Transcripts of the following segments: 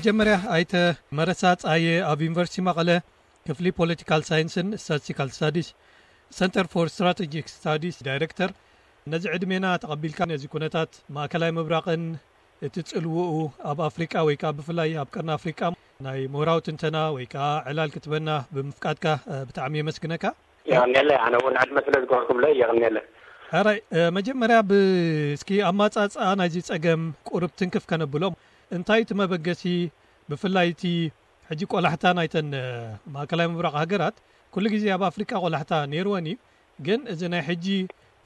መጀመርያ ኣይተ መረሳ ጻየ ኣብ ዩኒቨርሲቲ መቐለ ክፍሊ ፖለቲካል ሳይንስን ስታቲስቲካል ስታዲስ ሰንተር ፎር ስትራቴጂክ ስታዲስ ዳይሬክተር፣ ነዚ ዕድሜና ተቐቢልካ ነዚ ኩነታት ማእከላይ ምብራቕን እቲ ጽልውኡ ኣብ ኣፍሪቃ ወይ ከዓ ብፍላይ ኣብ ቀርኒ ኣፍሪቃ ናይ ምሁራዊ ትንተና ወይ ከዓ ዕላል ክትበና ብምፍቃድካ ብጣዕሚ የመስግነካ። የቐንየለ። ኣነ እውን ዕድመ ስለ ዝገበርኩምለ የቐንየለ። ሕራይ፣ መጀመርያ ብእስኪ ኣማጻጽኣ ናይዚ ጸገም ቁርብ ትንክፍ ከነብሎም፣ እንታይ እቲ መበገሲ? ብፍላይ እቲ ሕጂ ቆላሕታ ናይተን ማእከላይ ምብራቕ ሃገራት ኩሉ ግዜ ኣብ ኣፍሪቃ ቆላሕታ ነይርወን እዩ። ግን እዚ ናይ ሕጂ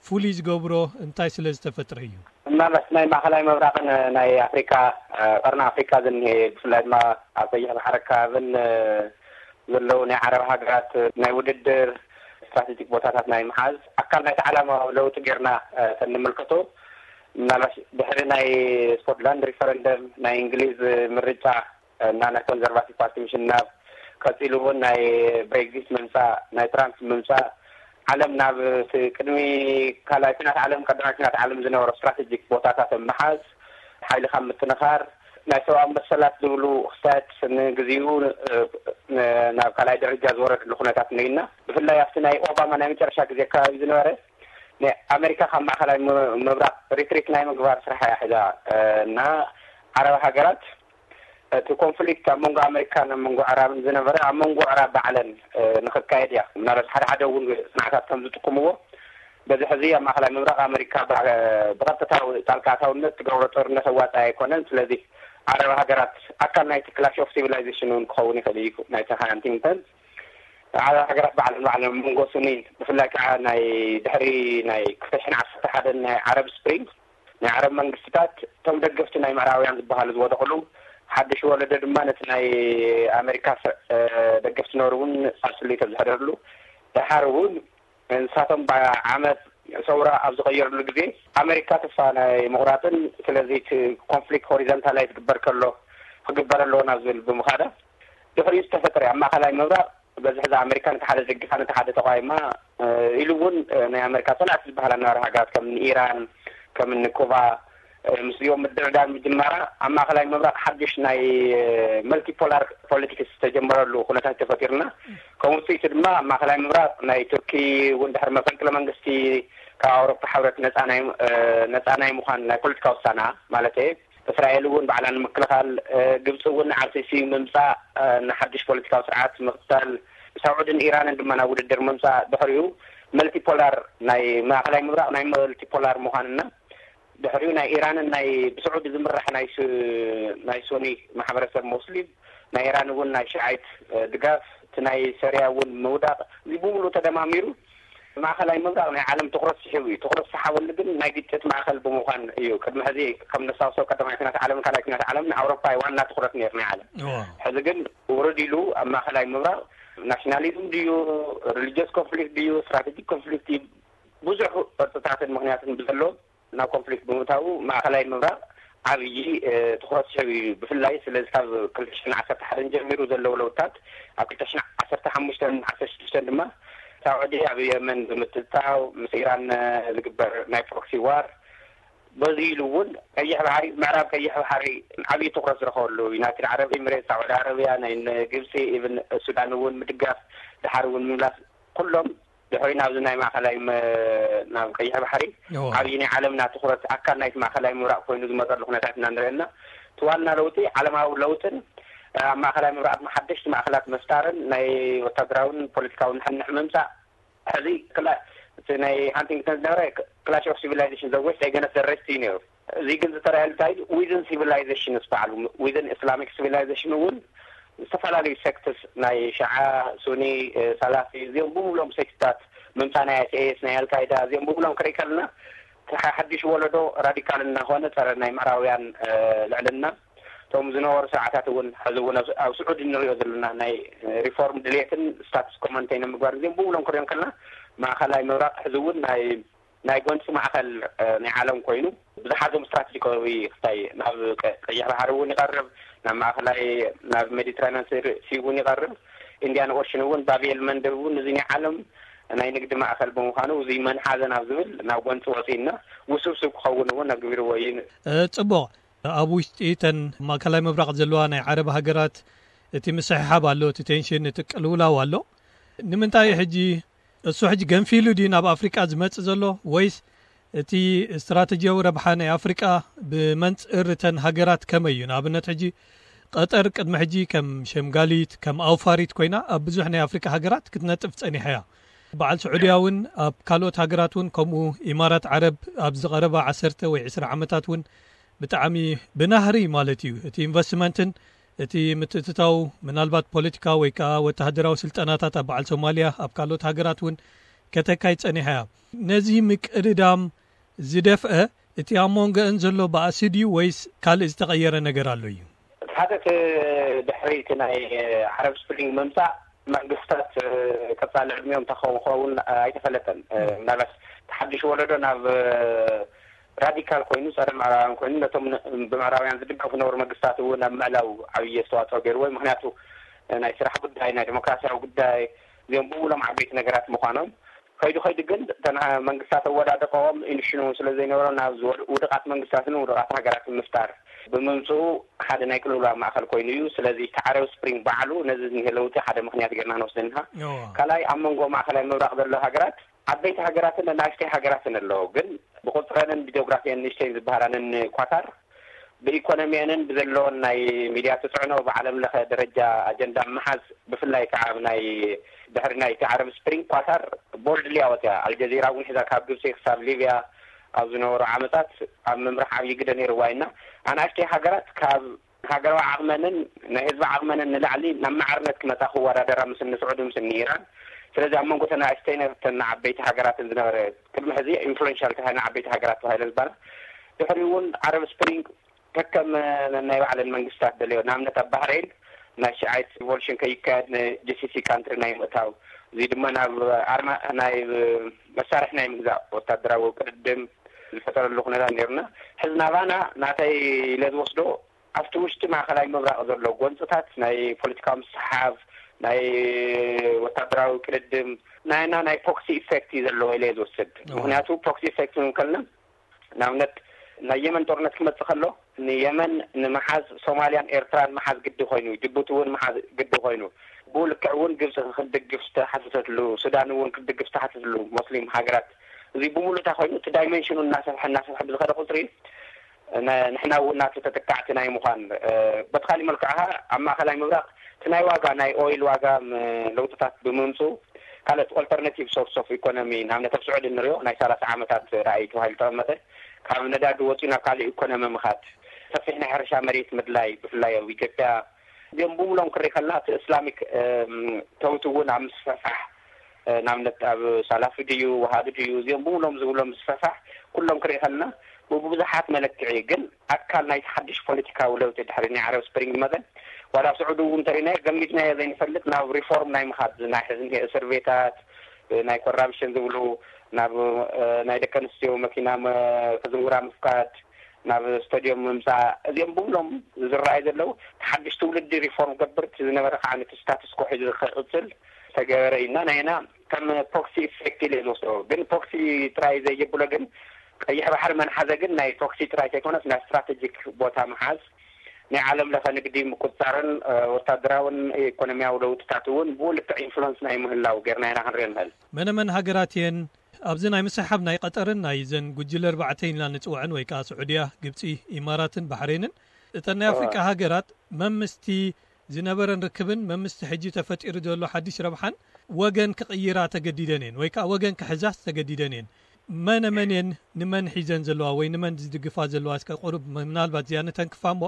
ፍሉይ ዝገብሮ እንታይ ስለ ዝተፈጥረ እዩ? ምናልባት ናይ ማእከላይ ምብራቕን ናይ ኣፍሪካ፣ ቀርኒ ኣፍሪካ ዝኒሄ፣ ብፍላይ ድማ ኣብ ቀይሕ ባሕሪ ኣከባብን ዘለዉ ናይ ዓረብ ሃገራት ናይ ውድድር ስትራቴጂክ ቦታታት ናይ ምሓዝ ኣካል ናይቲ ዓላማዊ ለውጢ ጌርና ተንምልከቶ፣ ምናልባት ድሕሪ ናይ ስኮትላንድ ሪፈረንደም፣ ናይ እንግሊዝ ምርጫ እና ናይ ኮንዘርቫቲቭ ፓርቲ ምሽናፍ፣ ቀፂሉ እውን ናይ ብሬግዚት ምምፃእ፣ ናይ ትራምፕ ምምፃእ፣ ዓለም ናብ እቲ ቅድሚ ካልኣይ ኩናት ዓለም፣ ቀዳማይ ኩናት ዓለም ዝነበሮ ስትራቴጂክ ቦታታት ምሓዝ፣ ሓይልኻ ምጥንኻር፣ ናይ ሰብኣዊ መሰላት ዝብሉ ክስተት ንግዚኡ ናብ ካልኣይ ደረጃ ዝወረድሉ ኩነታት ንግና። ብፍላይ ኣብቲ ናይ ኦባማ ናይ መጨረሻ ግዜ ከባቢ ዝነበረ ናይ ኣሜሪካ ካብ ማእከላይ ምብራቕ ሪትሪት ናይ ምግባር ስራሕ እያ ሒዛ እና ዓረብ ሃገራት እቲ ኮንፍሊክት ኣብ መንጎ ኣመሪካን ኣብ መንጎ ዕራብን ዝነበረ ኣብ መንጎ ዕራብ ባዕለን ንክካየድ እያ። ምናልባት ሓደ ሓደ እውን ፅንዓታት ከም ዝጥቁምዎ፣ በዚ ሕዚ ኣብ ማእከላይ ምብራቕ ኣመሪካ ብቐጥታዊ ጣልቃ ኣታውነት ትገብሮ ጦርነት ኣዋፃኢ ኣይኮነን። ስለዚ ዓረብ ሃገራት ኣካል ናይቲ ክላሽ ኦፍ ሲቪላይዜሽን እውን ክኸውን ይኽእል እዩ። ናይቲ ሃንቲንግተን ዓረብ ሃገራት ባዕለን ባዕለን መንጎ ሱኒን፣ ብፍላይ ከዓ ናይ ድሕሪ ናይ ክልተ ሽሕን ዓሰርተ ሓደን ናይ ዓረብ ስፕሪንግ ናይ ዓረብ መንግስትታት እቶም ደገፍቲ ናይ ምዕራባውያን ዝበሃሉ ዝወደቕሉ፣ ሓድሽ ወለዶ ድማ ነቲ ናይ ኣሜሪካ ደገፍቲ ዝነበሩ እውን ሳልስሊት ኣብ ዝሕደርሉ፣ ደሓር እውን ንሳቶም ብዓመት ሰውራ ኣብ ዝቐየርሉ ግዜ ኣሜሪካ ተስፋ ናይ ምቑራፅን፣ ስለዚ እቲ ኮንፍሊክት ሆሪዘንታላይዝ ክግበር ከሎ ክግበር ኣለዎ ናብ ዝብል ብምኻዳ ድሕሪኡ ዝተፈጠረ ኣብ ማእከላይ ምብራቕ በዚ ሕዚ ኣሜሪካ ነቲ ሓደ ደጊፋ ነቲ ሓደ ተቋይማ ኢሉ እውን ናይ ኣሜሪካ ፀላእቲ ዝበሃላ ነበረ ሃገራት ከም ኢራን ከም ኩባ ምስዚኦም ምድርዳር ምጅማራ ኣብ ማእከላይ ምብራቕ ሓድሽ ናይ መልቲፖላር ፖለቲክስ ዝተጀመረሉ ኩነታት ተፈጢርና። ከም ውፅኢቱ ድማ ኣብ ማእከላይ ምብራቕ ናይ ቱርኪ እውን ድሕሪ መፈንቅለ መንግስቲ ካብ ኣውሮፓ ሕብረት ነፃ ናይ ምዃን ናይ ፖለቲካ ውሳና ማለት እስራኤል እውን ባዕላ ንምክልኻል፣ ግብፂ እውን ንኣልሲሲ ምምፃእ፣ ንሓድሽ ፖለቲካዊ ስርዓት ምኽታል፣ ሳዑድን ኢራንን ድማ ናብ ውድድር ምምፃእ፣ ድሕሪኡ መልቲፖላር ናይ ማእኸላይ ምብራቕ ናይ መልቲፖላር ምዃንና ድሕሪኡ ናይ ኢራንን ናይ ብስዑዲ ዝምራሕ ናይ ሱ- ናይ ሱኒ ማሕበረሰብ ሙስሊም ናይ ኢራን እውን ናይ ሽዓይት ድጋፍ እቲ ናይ ሰሪያ እውን ምውዳቕ እዚ ብምሉእ ተደማሚሩ ማእኸላይ ምብራቕ ናይ ዓለም ትኹረት ስሒቡ እዩ። ትኹረት ዝሰሓበሉ ግን ናይ ግጭት ማእኸል ብምዃን እዩ። ቅድሚ ሕዚ ከም ነስታውሶ ቀዳማይ ኩናት ዓለምን ካልኣይ ኩናት ዓለምን ኣውሮፓ እዩ ዋና ትኹረት ነይሩ ናይ ዓለም። ሕዚ ግን ውርድ ኢሉ ኣብ ማእኸላይ ምብራቕ ናሽናሊዝም ድዩ ሪሊጅስ ኮንፍሊክት ድዩ ስትራቴጂክ ኮንፍሊክት እዩ ብዙሕ ቅርፅታትን ምኽንያትን ብዘለዎም ናብ ኮንፍሊክት ብምእታዉ ማእኸላይ ምብራቕ ዓብዪ ትኹረት ስሒቡ እዩ። ብፍላይ ስለዚ ካብ ክልተ ሽሕን ዓሰርተ ሓደን ጀሚሩ ዘለዉ ለውጥታት ኣብ ክልተ ሽሕን ዓሰርተ ሓሙሽተን ዓሰርተ ሽዱሽተን ድማ ሳዑዲ ኣብ የመን ብምትእትታው ምስ ኢራን ዝግበር ናይ ፕሮክሲ ዋር በዚ ኢሉ እውን ቀይሕ ባሕሪ ምዕራብ ቀይሕ ባሕሪ ዓብዪ ትኹረት ዝረኸበሉ ዩናይትድ ዓረብ ኤሚሬት ሳዑዲ ዓረብያ ናይ ግብፂ ኢብን ሱዳን እውን ምድጋፍ ድሓር እውን ምምላስ ኩሎም ድሕሪ ናብዚ ናይ ማእኸላይ ናብ ቀይሕ ባሕሪ ዓብዪ ናይ ዓለምና ትኹረት ኣካል ናይቲ ማእኸላይ ምብራቕ ኮይኑ ዝመፀሉ ኩነታት ኢና ንሪኦ ኣለና። እቲ ዋና ለውጢ ዓለማዊ ለውጥን ኣብ ማእኸላይ ምብራቕ ድማ ሓደሽቲ ማእኸላት ምፍጣርን ናይ ወታደራውን ፖለቲካውን ንሕንሕ ምምፃእ ሕዚ ክላ እቲ ናይ ሃንቲንግተን ዝነበረ ክላሽ ኦፍ ሲቪላይዜሽን ዘወሽ ደገነት ዘረስቲ እዩ ነይሩ። እዚ ግን ዝተረኣየሉ እንታይ ዊዝን ሲቪላይዜሽን ዝበዓሉ ዊዝን ኢስላሚክ ሲቪላይዜሽን እውን ዝተፈላለዩ ሴክትስ ናይ ሸዓ ሱኒ ሰላፊ እዚኦም ብምሎም ሴክትታት ምምፃእ ናይ ኣይስኤስ ናይ ኣልካይዳ እዚኦም ብምሎም ክርኢ ከለና ሓድሽ ወለዶ ራዲካል እናኾነ ፀረ ናይ ምዕራውያን ልዕልና እቶም ዝነበሩ ስርዓታት እውን ሕዚ እውን ኣብ ስዑዲ ንሪኦ ዘለና ናይ ሪፎርም ድሌትን ስታትስ ኮመንተይ ንምግባር እዚኦም ብምሎም ክሪኦም ከለና ማእኸላይ ምብራቕ ሕዚ እውን ናይ ናይ ጎንፂ ማእኸል ናይ ዓለም ኮይኑ ብዙሓት ዞም ስትራቴጂካዊ ክታይ ናብ ቀይሕ ባሕሪ እውን ይቐርብ ናብ ማእኸላይ ናብ ሜዲትራኒያን ሲ እውን ይቐርብ ኢንዲያን ኦሽን እውን ባብኤል መንደብ እውን እዚ ናይ ዓለም ናይ ንግዲ ማእኸል ብምዃኑ እዚ መንሓዘ ናብ ዝብል ናብ ጎንፂ ወፂእና ውስብስብ ክኸውን እውን ኣግቢርዎ እዩ። ፅቡቕ። ኣብ ውሽጢ እተን ማእከላይ ምብራቕ ዘለዋ ናይ ዓረብ ሃገራት እቲ ምስሕሓብ ኣሎ፣ እቲ ቴንሽን፣ እቲ ቅልውላው ኣሎ። ንምንታይ ሕጂ እሱ ሕጂ ገንፊሉ ድዩ ናብ ኣፍሪቃ ዝመጽእ ዘሎ፣ ወይስ እቲ ስትራተጂያዊ ረብሓ ናይ ኣፍሪቃ ብመንጽር እተን ሃገራት ከመይ እዩ? ንኣብነት ሕጂ ቀጠር ቅድሚ ሕጂ ከም ሸምጋሊት፣ ከም ኣውፋሪት ኮይና ኣብ ብዙሕ ናይ ኣፍሪቃ ሃገራት ክትነጥፍ ጸኒሓ እያ። በዓል ስዑድያ እውን ኣብ ካልኦት ሃገራት እውን ከምኡ፣ ኢማራት ዓረብ ኣብዚ ቀረባ ዓሰርተ ወይ ዕስራ ዓመታት እውን ብጣዕሚ ብናህሪ ማለት እዩ እቲ ኢንቨስትመንትን እቲ ምትእትታው፣ ምናልባት ፖለቲካ ወይ ከዓ ወተሃደራዊ ስልጠናታት ኣብ በዓል ሶማልያ፣ ኣብ ካልኦት ሃገራት እውን ከተካይ ጸኒሓ እያ። ነዚ ምቅድዳም ዝደፍአ እቲ ኣብ መንጎአን ዘሎ ባእሲ ድዩ ወይስ ካልእ ዝተቐየረ ነገር ኣሎ እዩ? ሓደ እቲ ድሕሪ እቲ ናይ ዓረብ ስፕሪንግ ምምፃእ መንግስታት ቀፃሊ ዕድሚኦም እንታይ ክኸውን ኣይተፈለጠን። ምናልባት እቲ ሓድሽ ወለዶ ናብ ራዲካል ኮይኑ፣ ፀረ ምዕራባውያን ኮይኑ፣ ነቶም ን-፣ ብምዕራባውያን ዝድገፉ ነበሩ መንግስታት እውን ኣብ ምዕላው ዓብዪ ኣስተዋፅኦ ገይርዎ። ምክንያቱ ናይ ስራሕ ጉዳይ፣ ናይ ዲሞክራሲያዊ ጉዳይ፣ እዚኦም ብምሎም ዓበይቲ ነገራት ምዃኖም ከይዱ ከይዱ ግን እተን መንግስታት ኣወዳድቀኦም ኢንሽኑ ስለ ዘይነበሮ ናብ ዝወድ-፣ ውድቃት መንግስታትን ውድቃት ሃገራትን ምፍጣር ብምምፅኡ ሓደ ናይ ቅልውላው ማእኸል ኮይኑ እዩ። ስለዚ እቲ ዓረብ ስፕሪንግ ባዕሉ ነዚ ዝኒሀ ለውጢ ሓደ ምክንያት ጌርና ክንወስድ ንሃ። እዋ። ካልኣይ ኣብ መንጎ ማእኸላይ ምብራቕ ዘሎ ሃገራት ዓበይቲ ሃገራትን ንኣሽተይ ሃገራትን ኣለዎ። ግን ብቁፅረንን ብጂኦግራፊን ንእሽተይን ዝበሃላንን ኳታር ብኢኮኖሚየንን ብዘለዎን ናይ ሚድያ ትፅዕኖ ብዓለም ለኸ ደረጃ ኣጀንዳ ምሓዝ ብፍላይ ከዓ ኣብ ናይ ድሕሪ ናይ እቲ ዓረብ ስፕሪንግ ኳታር ቦልድሊ ኣወፅያ። ኣልጀዚራ እውን ሒዛ ካብ ግብፂ ክሳብ ሊብያ ኣብ ዝነበሩ ዓመታት ኣብ ምምራሕ ዓብዪ ግደ ነይርዋ ኢና። ኣናእሽተይ ሃገራት ካብ ሃገራዊ ዓቕመንን ናይ ህዝቢ ዓቕመንን ንላዕሊ ናብ ማዕርነት ክመፃ ክወዳደራ ምስ እኒ ስዑዲ ምስ እኒ ኢራን። ስለዚ ኣብ መንጎ ተን ኣናእሽተይ ተን ዓበይቲ ሃገራትን ዝነበረ ቅድሚ ሕዚ ኢንፍሉዌንሻል ተባሂለን ዓበይቲ ሃገራት ተባሂለን ዝበሃላ ድሕሪ እውን ዓረብ ስፕሪንግ ከከም ናይ ባዕለን መንግስታት ደለዮ። ንኣብነት ኣብ ባህሬን ናይ ሽዓይት ሪቮሉሽን ከይካየድ ንጂሲሲ ካንትሪ ናይ ምእታው፣ እዚ ድማ ናብ ኣርማ ናይ መሳርሒ ናይ ምግዛእ ወታደራዊ ቅድድም ዝፈጠረሉ ኩነታት ነይሩና። ሕዚ ናባና ናተይ ኢለ ዝወስዶ ኣብቲ ውሽጢ ማእኸላይ ምብራቕ ዘሎ ጎንፅታት ናይ ፖለቲካዊ ምስሓብ፣ ናይ ወታደራዊ ቅድድም ናይና ናይ ፕሮክሲ ኢፌክት እዩ ዘለዎ ኢለ ዝወስድ። ምክንያቱ ፕሮክሲ ኢፌክት ክንብል ከለና ንኣብነት ናይ የመን ጦርነት ክመጽእ ከሎ ንየመን ንምሓዝ ሶማልያን ኤርትራን ምሓዝ ግዲ ኮይኑ፣ ጅቡቲ እውን ምሓዝ ግዲ ኮይኑ፣ ብኡ ልክዕ እውን ግብፂ ክትድግፍ ዝተሓተተትሉ፣ ሱዳን እውን ክትድግፍ ዝተሓተትሉ፣ ሞስሊም ሃገራት፣ እዚ ብምሉእ እንታይ ኮይኑ እቲ ዳይሜንሽኑ እናሰፍሐ እናሰፍሐ ብዝኸደ ቁፅሪ ን-፣ ንሕና እውን ናቱ ተጠቃዕቲ ናይ ምዃን፣ እ፣ በቲ ካሊእ መልክዕ ኸዓ ኣብ ማእኸላይ ምብራቕ እቲ ናይ ዋጋ ናይ ኦይል ዋጋ ም-፣ ለውጥታት ብምምፅኡ ካልኦት ኦልተርናቲቭ ሶርስ ኦፍ ኢኮኖሚ ንኣብነት ኣብ ስዑዲ ንሪኦ ናይ ሰላሳ ዓመታት ራእይ ተባሂሉ ተቐመጠ። ካብ ነዳዲ ወፂኡ ናብ ካልእ ኢኮኖሚ ምኻድ ሰፊሕ ናይ ሕርሻ መሬት ምድላይ ብፍላይ ኣብ ኢትዮጵያ እዚኦም ብምሎም ክርኢ ከለና እቲ እስላሚክ፣ እም፣ ተውት እውን ኣብ ምስፍሕፋሕ፣ እ፣ ንኣብነት ኣብ ሳላፊ ድዩ፣ ወሃቢ ድዩ፣ እዚኦም ብምሎም ዝብሎም ምስፍሕፋሕ ኩሎም ክርኢ ከለና ብብዙሓት መለክዒ ግን ኣካል ናይቲ ሓድሽ ፖለቲካዊ ለውጢ ድሕሪ ናይ ዓረብ ስፕሪንግ መጠን ዋላ ኣብ ስዑዲ እውን እንተሪእናዮ ገሚትናዮ ዘይንፈልጥ ናብ ሪፎርም ናይ ምኻድ ናይ ሕዚ እንሄ እስር ቤታት፣ እ፣ ናይ ኮራፕሽን ዝብሉ ናብ፣ እ፣ ናይ ደቂ ኣንስትዮ መኪና መ-፣ ክዝውራ ምፍቃድ፣ ናብ ስቶዲዮም ምምፃእ፣ እዚኦም ብምሎም ዝረኣዩ ዘለዉ እቲ ሓድሽ ትውልዲ ሪፎርም ገብር እቲ ዝነበረ ከዓ ነቲ ስታትስ ኮ ሒዙ ክቕፅል ዝተገበረ እዩ እና ናይና ከም ፕሮክሲ ኢፌክት ኢለ ዝወስዶ። ግን ፕሮክሲ ጥራይ ዘይብሎ ግን ቀይሕ ባሕሪ መን ሓዘ ግን ናይ ፕሮክሲ ጥራይ ዘይኮነስ ናይ ስትራቴጂክ ቦታ ምሓዝ ናይ ዓለም ለኸ ንግዲ ምቁፅፃርን፣ እ፣ ወታደራውን ኢኮኖሚያዊ ለውጥታት እውን ብኡ ልክዕ ኢንፍሉንስ ናይ ምህላው ጌርና ኢና ክንሪኦ ንኽእል። መነ መን ሃገራት እየን ኣብዚ ናይ ምስሕሓብ ናይ ቀጠርን ናይ ዘን ጉጅለ ኣርባዕተ ኢልና ንፅውዐን ወይ ከዓ ስዑድያ፣ ግብፂ፣ ኢማራትን ባሕሬንን እተን ናይ ኣፍሪቃ ሃገራት መምስቲ ዝነበረን ርክብን መምስቲ ሕጂ ተፈጢሩ ዘሎ ሓድሽ ረብሓን ወገን ክቕይራ ተገዲደን እየን ወይ ከዓ ወገን ክሕዛስ ተገዲደን እየን። መነ መን እየን ንመን ሒዘን ዘለዋ ወይ ንመን ዝድግፋ ዘለዋ? እስከ ቁሩብ ምናልባት እዚኣ ንተንክፋ እሞ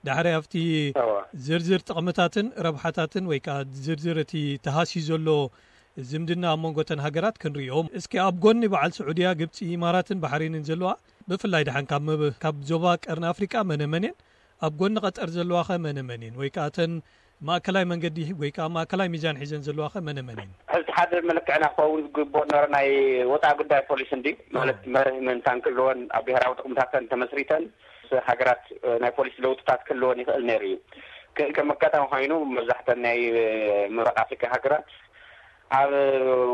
ዳሕራይ ኣብቲ ዝርዝር ጥቕምታትን ረብሓታትን ወይ ከዓ ዝርዝር እቲ ተሃስዩ ዘሎ ዝምድና ኣብ መንጎ እተን ሃገራት ክንሪኦ። እስኪ ኣብ ጎኒ በዓል ስዑድያ፣ ግብፂ፣ ኢማራትን ባሕሬንን ዘለዋ ብፍላይ ደሓን ካብ መብ-፣ ካብ ዞባ ቀርኒ ኣፍሪቃ መነ መን እየን? ኣብ ጎኒ ቀጠር ዘለዋ ኸ መነ መን እየን? ወይ ከዓ እተን ማእከላይ መንገዲ ወይ ከዓ ማእከላይ ሚዛን ሒዘን ዘለዋ ኸ መነ መን እየን? ሕዚ ሓደ መለክዕና ክኸውን ዝግብኦ ነበረ ናይ ወፃኢ ጉዳይ ፖሊሲ እንዲ ማለት መርህ ምእንታን ክህልወን ኣብ ብሄራዊ ጥቕምታተን ተመስሪተን ሃገራት ናይ ፖሊሲ ለውጥታት ክህልወን ይኽእል ነይሩ እዩ። ክ-፣ ከም ኣጋጣሚ ኮይኑ መብዛሕተን ናይ ምብራቕ ኣፍሪካ ሃገራት ኣብ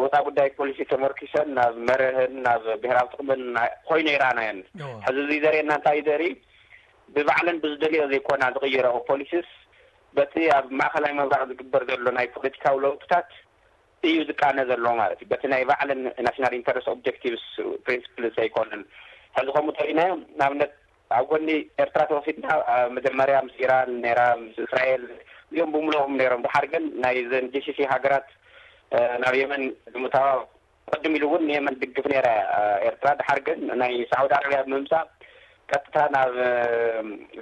ወፃኢ ጉዳይ ፖሊሲ ተመርኪሰን ናብ መርህን ናብ ብሄራዊ ጥቕምን ናይ-፣ ኮይኑ ይረኣናየን። ሕዚ እዚ ዘርእየና እንታይ እዩ ዘርኢ? ብባዕለን ብዝደልዮ ዘይኮና ዝቕይረኦ ፖሊሲስ በቲ ኣብ ማእኸላይ ምብራቕ ዝግበር ዘሎ ናይ ፖለቲካዊ ለውጥታት እዩ ዝቃነ ዘሎ ማለት እዩ። በቲ ናይ ባዕለን ናሽናል ኢንተረስት ኦብጀክቲቭስ ፕሪንስፕልስ ኣይኮነን። ሕዚ ከምኡ ተሪእናዮ ንኣብነት ኣብ ጎኒ ኤርትራ ተወሲድና መጀመርያ ምስ ኢራን ነራ ምስ እስራኤል እዚኦም ብምልኦም ነሮም። ድሓር ግን ናይ ዘን ጂሲሲ ሃገራት ናብ የመን ብምታዋ ቅድም ኢሉ እውን ንየመን ድግፍ ነራ ኤርትራ። ድሓር ግን ናይ ሳዑዲ ዓረብያ ብምምፃእ ቀጥታ ናብ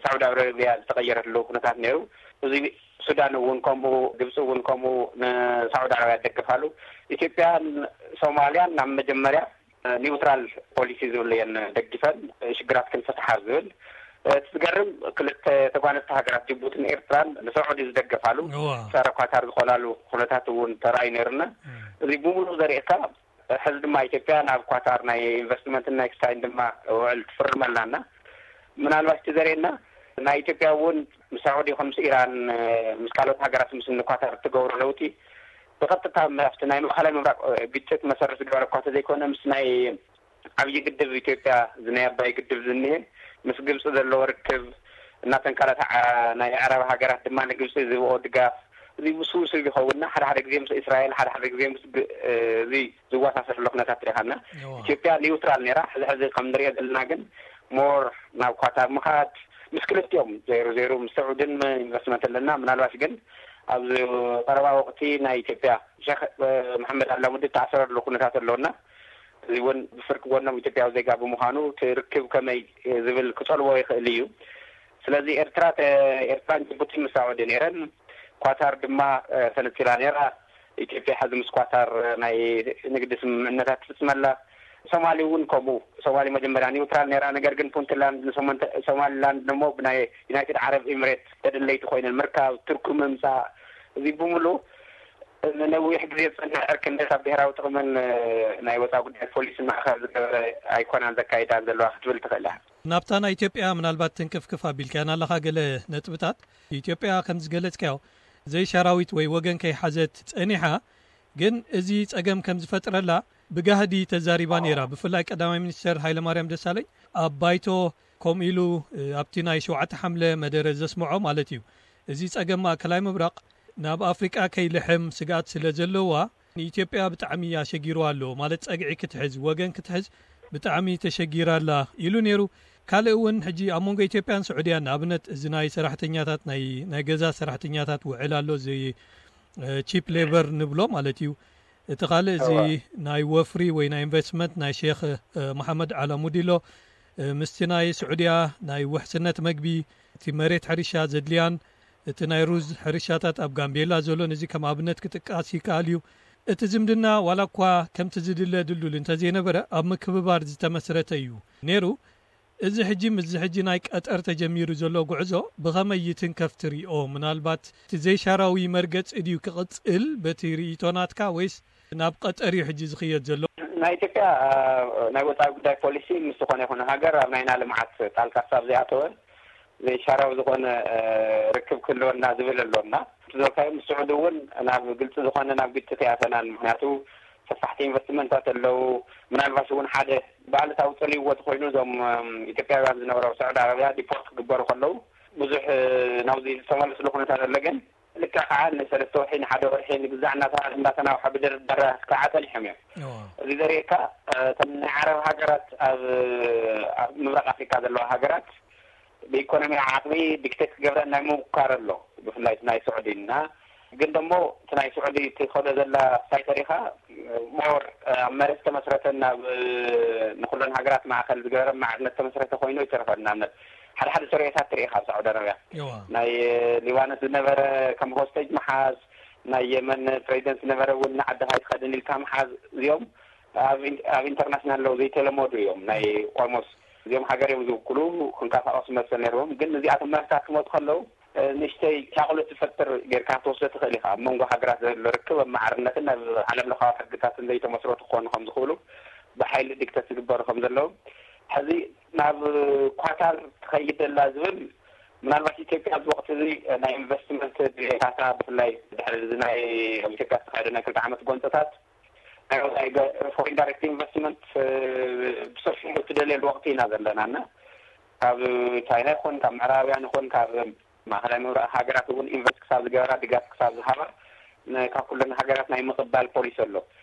ሳዑዲ ዓረብያ ዝተቐየረሉ ኩነታት ነይሩ። እዚ ሱዳን እውን ከምኡ፣ ግብፂ እውን ከምኡ ንሳዑዲ ዓረብያ ደገፋሉ። ኢትዮጵያን ሶማልያን ናብ መጀመርያ ኒውትራል ፖሊሲ ዝብልየን ደግፈን ሽግራት ክንፈትሓ ዝብል እቲ ዝገርም ክልተ ተጓነዝቲ ሃገራት ጅቡትን ኤርትራን ንሳዑዲ ዝደገፋሉ ጸረ ኳታር ዝኾናሉ ኩነታት እውን ተራእዩ ነይሩና። እዚ ብምሉእ ዘርእካ ሕዚ ድማ ኢትዮጵያ ናብ ኳታር ናይ ኢንቨስትመንትን ናይ ኤክስቻይን ድማ ውዕል ትፍርም ኣላና። ምናልባሽ እቲ ዘርእየና ናይ ኢትዮጵያ እውን ምስ ሳዑዲ ይኹን ምስ ኢራን ምስ ካልኦት ሃገራት ምስ ንኳታር እትገብሮ ለውጢ ብቐጥታ ኣብቲ ናይ ማእኸላይ ምብራቕ ግጭት መሰረት ዝገበረ እኳ ተዘይኮነ ምስ ናይ ዓብዪ ግድብ ኢትዮጵያ እዚ ናይ ኣባይ ግድብ ዝኒሀ ምስ ግብፂ ዘለዎ ርክብ እናተንቀላተዓ ናይ ኣዕራብ ሃገራት ድማ ንግብፂ ዝህብኦ ድጋፍ እዚ ውስውስብ ይኸውንና ሓደ ሓደ ግዜ ምስ እስራኤል ሓደ ሓደ ግዜ ምስ እዚ ዝዋሳሰር ዘሎ ኩነታት ትሪኻና። ኢትዮጵያ ኒውትራል ነራ ሕዚ ሕዚ ከም ንሪኦ ዘለና ግን ሞር ናብ ኳታር ምኻድ ምስ ክልቲኦም ዜሮ ዜሮ ምስ ስዑድን ኢንቨስትመንት ኣለና። ምናልባሽ ግን ኣብዚ ቀረባ ወቅቲ ናይ ኢትዮጵያ ሸክ መሐመድ ኣላሙዲ ተኣሰረሉ ኩነታት ኣለውና። እዚ እውን ብፍርቂ ጎኖም ኢትዮጵያዊ ዜጋ ብምዃኑ ትርክብ ከመይ ዝብል ክጸልዎ ይኽእል እዩ። ስለዚ ኤርትራ ኤርትራን ጅቡቲን ምስ ሳዑዲ ነይረን ኳታር ድማ ተነጺላ ነይራ። ኢትዮጵያ ሕዚ ምስ ኳታር ናይ ንግዲ ስምምዕነታት ትፍጽመላ። ሶማሊ እውን ከምኡ። ሶማሊ መጀመርያ ኒውትራል ነይራ፣ ነገር ግን ፑንትላንድ ሶማሊላንድ ደሞ ብናይ ዩናይትድ ዓረብ ኤምሬት ተደለይቲ ኮይነን ምርካብ፣ ቱርኪ ምምፃእ፣ እዚ ብምሉ ነዊሕ ግዜ ዝፀንሕ ዕርክነት ኣብ ብሄራዊ ጥቕምን ናይ ወፃኢ ጉዳይ ፖሊሲ ማእኸል ዝገበረ ኣይኮናን ዘካይዳን ዘለዋ ክትብል ትኽእል እያ። ናብታ ናይ ኢትዮጵያ ምናልባት ትንክፍክፍ ኣቢልካያ ኣለኻ ገለ ነጥብታት። ኢትዮጵያ ከም ዝገለጽካዮ ዘይሻራዊት ወይ ወገን ከይሓዘት ጸኒሓ፣ ግን እዚ ጸገም ከም ዝፈጥረላ ብጋህዲ ተዛሪባ ነይራ። ብፍላይ ቀዳማይ ሚኒስተር ሃይለማርያም ደሳለኝ ኣብ ባይቶ ከምኡ ኢሉ ኣብቲ ናይ ሸውዓተ ሓምለ መደረ ዘስምዖ ማለት እዩ። እዚ ጸገም ማእከላይ ምብራቕ ናብ ኣፍሪቃ ከይልሕም ስግኣት ስለ ዘለዋ ንኢትዮጵያ ብጣዕሚ ኣሸጊርዋ ኣሎ ማለት ጸግዒ ክትሕዝ ወገን ክትሕዝ ብጣዕሚ ተሸጊራ ኣላ ኢሉ ነይሩ። ካልእ እውን ሕጂ ኣብ መንጎ ኢትዮጵያን ስዑድያን ንኣብነት እዚ ናይ ሰራሕተኛታት ናይ ናይ ገዛ ሰራሕተኛታት ውዕል ኣሎ እዚ ቺፕ ሌበር ንብሎ ማለት እዩ። እቲ ካልእ እዚ ናይ ወፍሪ ወይ ናይ ኢንቨስትመንት ናይ ሼክ መሓመድ ዓላሙዲ ኣሎ ምስቲ ናይ ስዑድያ ናይ ውሕስነት መግቢ እቲ መሬት ሕርሻ ዘድልያን እቲ ናይ ሩዝ ሕርሻታት ኣብ ጋምቤላ ዘሎን እዚ ከም ኣብነት ክጥቀስ ይከኣል እዩ። እቲ ዝምድና ዋላ እኳ ከምቲ ዝድለ ድልዱል እንተዘይነበረ ኣብ ምክብባር ዝተመስረተ እዩ ነይሩ። እዚ ሕጂ ምስዚ ሕጂ ናይ ቀጠር ተጀሚሩ ዘሎ ጉዕዞ ብኸመይ ይትንከፍ ትሪኦ? ምናልባት እቲ ዘይሻራዊ መርገጺ ድዩ ክቕጽል በቲ ርእይቶ ናትካ ወይስ ናብ ቀጠር እዩ ሕጂ ዝኽየድ ዘሎ? ናይ ኢትዮጵያ ናይ ወፃኢ ጉዳይ ፖሊሲ ምስ ዝኾነ ይኹን ሃገር ኣብ ናይና ልምዓት ጣልቃ ክሳብ ዘይኣተወ ዘይሻራዊ ዝኾነ ርክብ ክህልወና ዝብል ኣሎ እና እቲ ዝበልካዮ ምስ ስዑዲ እውን ናብ ግልፂ ዝኾነ ናብ ግጭት ኣይኣተናን። ምክንያቱ ሰፋሕቲ ኢንቨስትመንታት ኣለዉ። ምናልባሽ እውን ሓደ ብኣሉታዊ ፀሊእዎ ተኮይኑ እዞም ኢትዮጵያውያን ዝነበሩ ኣብ ሳዑዲ ዓረብያ ዲፖርት ክግበሩ ከለዉ ብዙሕ ናብዚ ዝተመለስሉ ኩነታት ኣሎ። ግን ልክዕ ከዓ ንሰለስተ ወርሒ ንሓደ ወርሒ ንግዛዕ እናተባሃለ እንዳተናውሐ ብድርድር ከዓ ፀኒሖም እዮም። እዚ ዘርእየካ እተን ናይ ዓረብ ሃገራት ኣብ ምብራቅ ኣፍሪካ ዘለዋ ሃገራት ብኢኮኖሚ ዓቅሚ ዲክቴት ክገብረን ናይ ምውካር ኣሎ። ብፍላይ ናይ ስዑዲ እና ግን ደሞ እቲ ናይ ስዑዲ ትኸዶ ዘላ ሳይተሪካ ሞር ኣብ መሬት ተመስረተን ናብ ንኩለን ሃገራት ማእከል ዝገበረ ማዕርነት ተመስረተ ኮይኑ ይተረፈ። ንኣብነት ሓደ ሓደ ሰሪኦታት ትርኢ ካብ ሳዑዲ ኣረብያ ናይ ሊባኖስ ዝነበረ ከም ሆስቴጅ ምሓዝ ናይ የመን ፕሬዚደንት ዝነበረ እውን ንዓዲ ካይትኸድን ኢልካ ምሓዝ እዚኦም ኣብ ኢንተርናሽናል ለው ዘይተለመዱ እዮም። ናይ ኦልሞስት እዚኦም ሃገር እዮም ዝውክሉ ክንቀሳቀሱ መሰል ነርዎም። ግን እዚኣቶም መርታት ክመፁ ከለው ንእሽተይ ሻቕሎት ዝፈጥር ጌርካ ክትወስዶ ትኽእል ኢኻ። ኣብ መንጎ ሃገራት ዘሎ ርክብ ኣብ ማዕርነትን ኣብ ዓለም ለኻዊ ሕግታትን ዘይተመስረቱ ክኾኑ ከም ዝኽእሉ ብሓይሊ ዲክተት ዝግበሩ ከም ዘለዉ ሕዚ ናብ ኳታር ትኸይድ ዘላ ዝብል ምናልባት ኢትዮጵያ ኣብዚ ወቅቲ እዚ ናይ ኢንቨስትመንት ድሌታታ ብፍላይ ድሕሪ እዚ ናይ ኣብ ኢትዮጵያ ዝተካየደ ናይ ክልተ ዓመት ጎንፅታት ናይ ወፃኢ ፎሬን ዳይሬክት ኢንቨስትመንት ብሰፊሑ ትደልየሉ ወቅቲ ኢና ዘለና እና ካብ ቻይና ይኹን ካብ ምዕራባውያን ይኹን ካብ ማእኸላይ ምብራቕ ሃገራት እውን ኢንቨስት ክሳብ ዝገበራ፣ ድጋፍ ክሳብ ዝሃባ፣ ን-፣ ካብ ኩለን ሃገራት ናይ ምቕባል ፖሊሲ ኣሎ።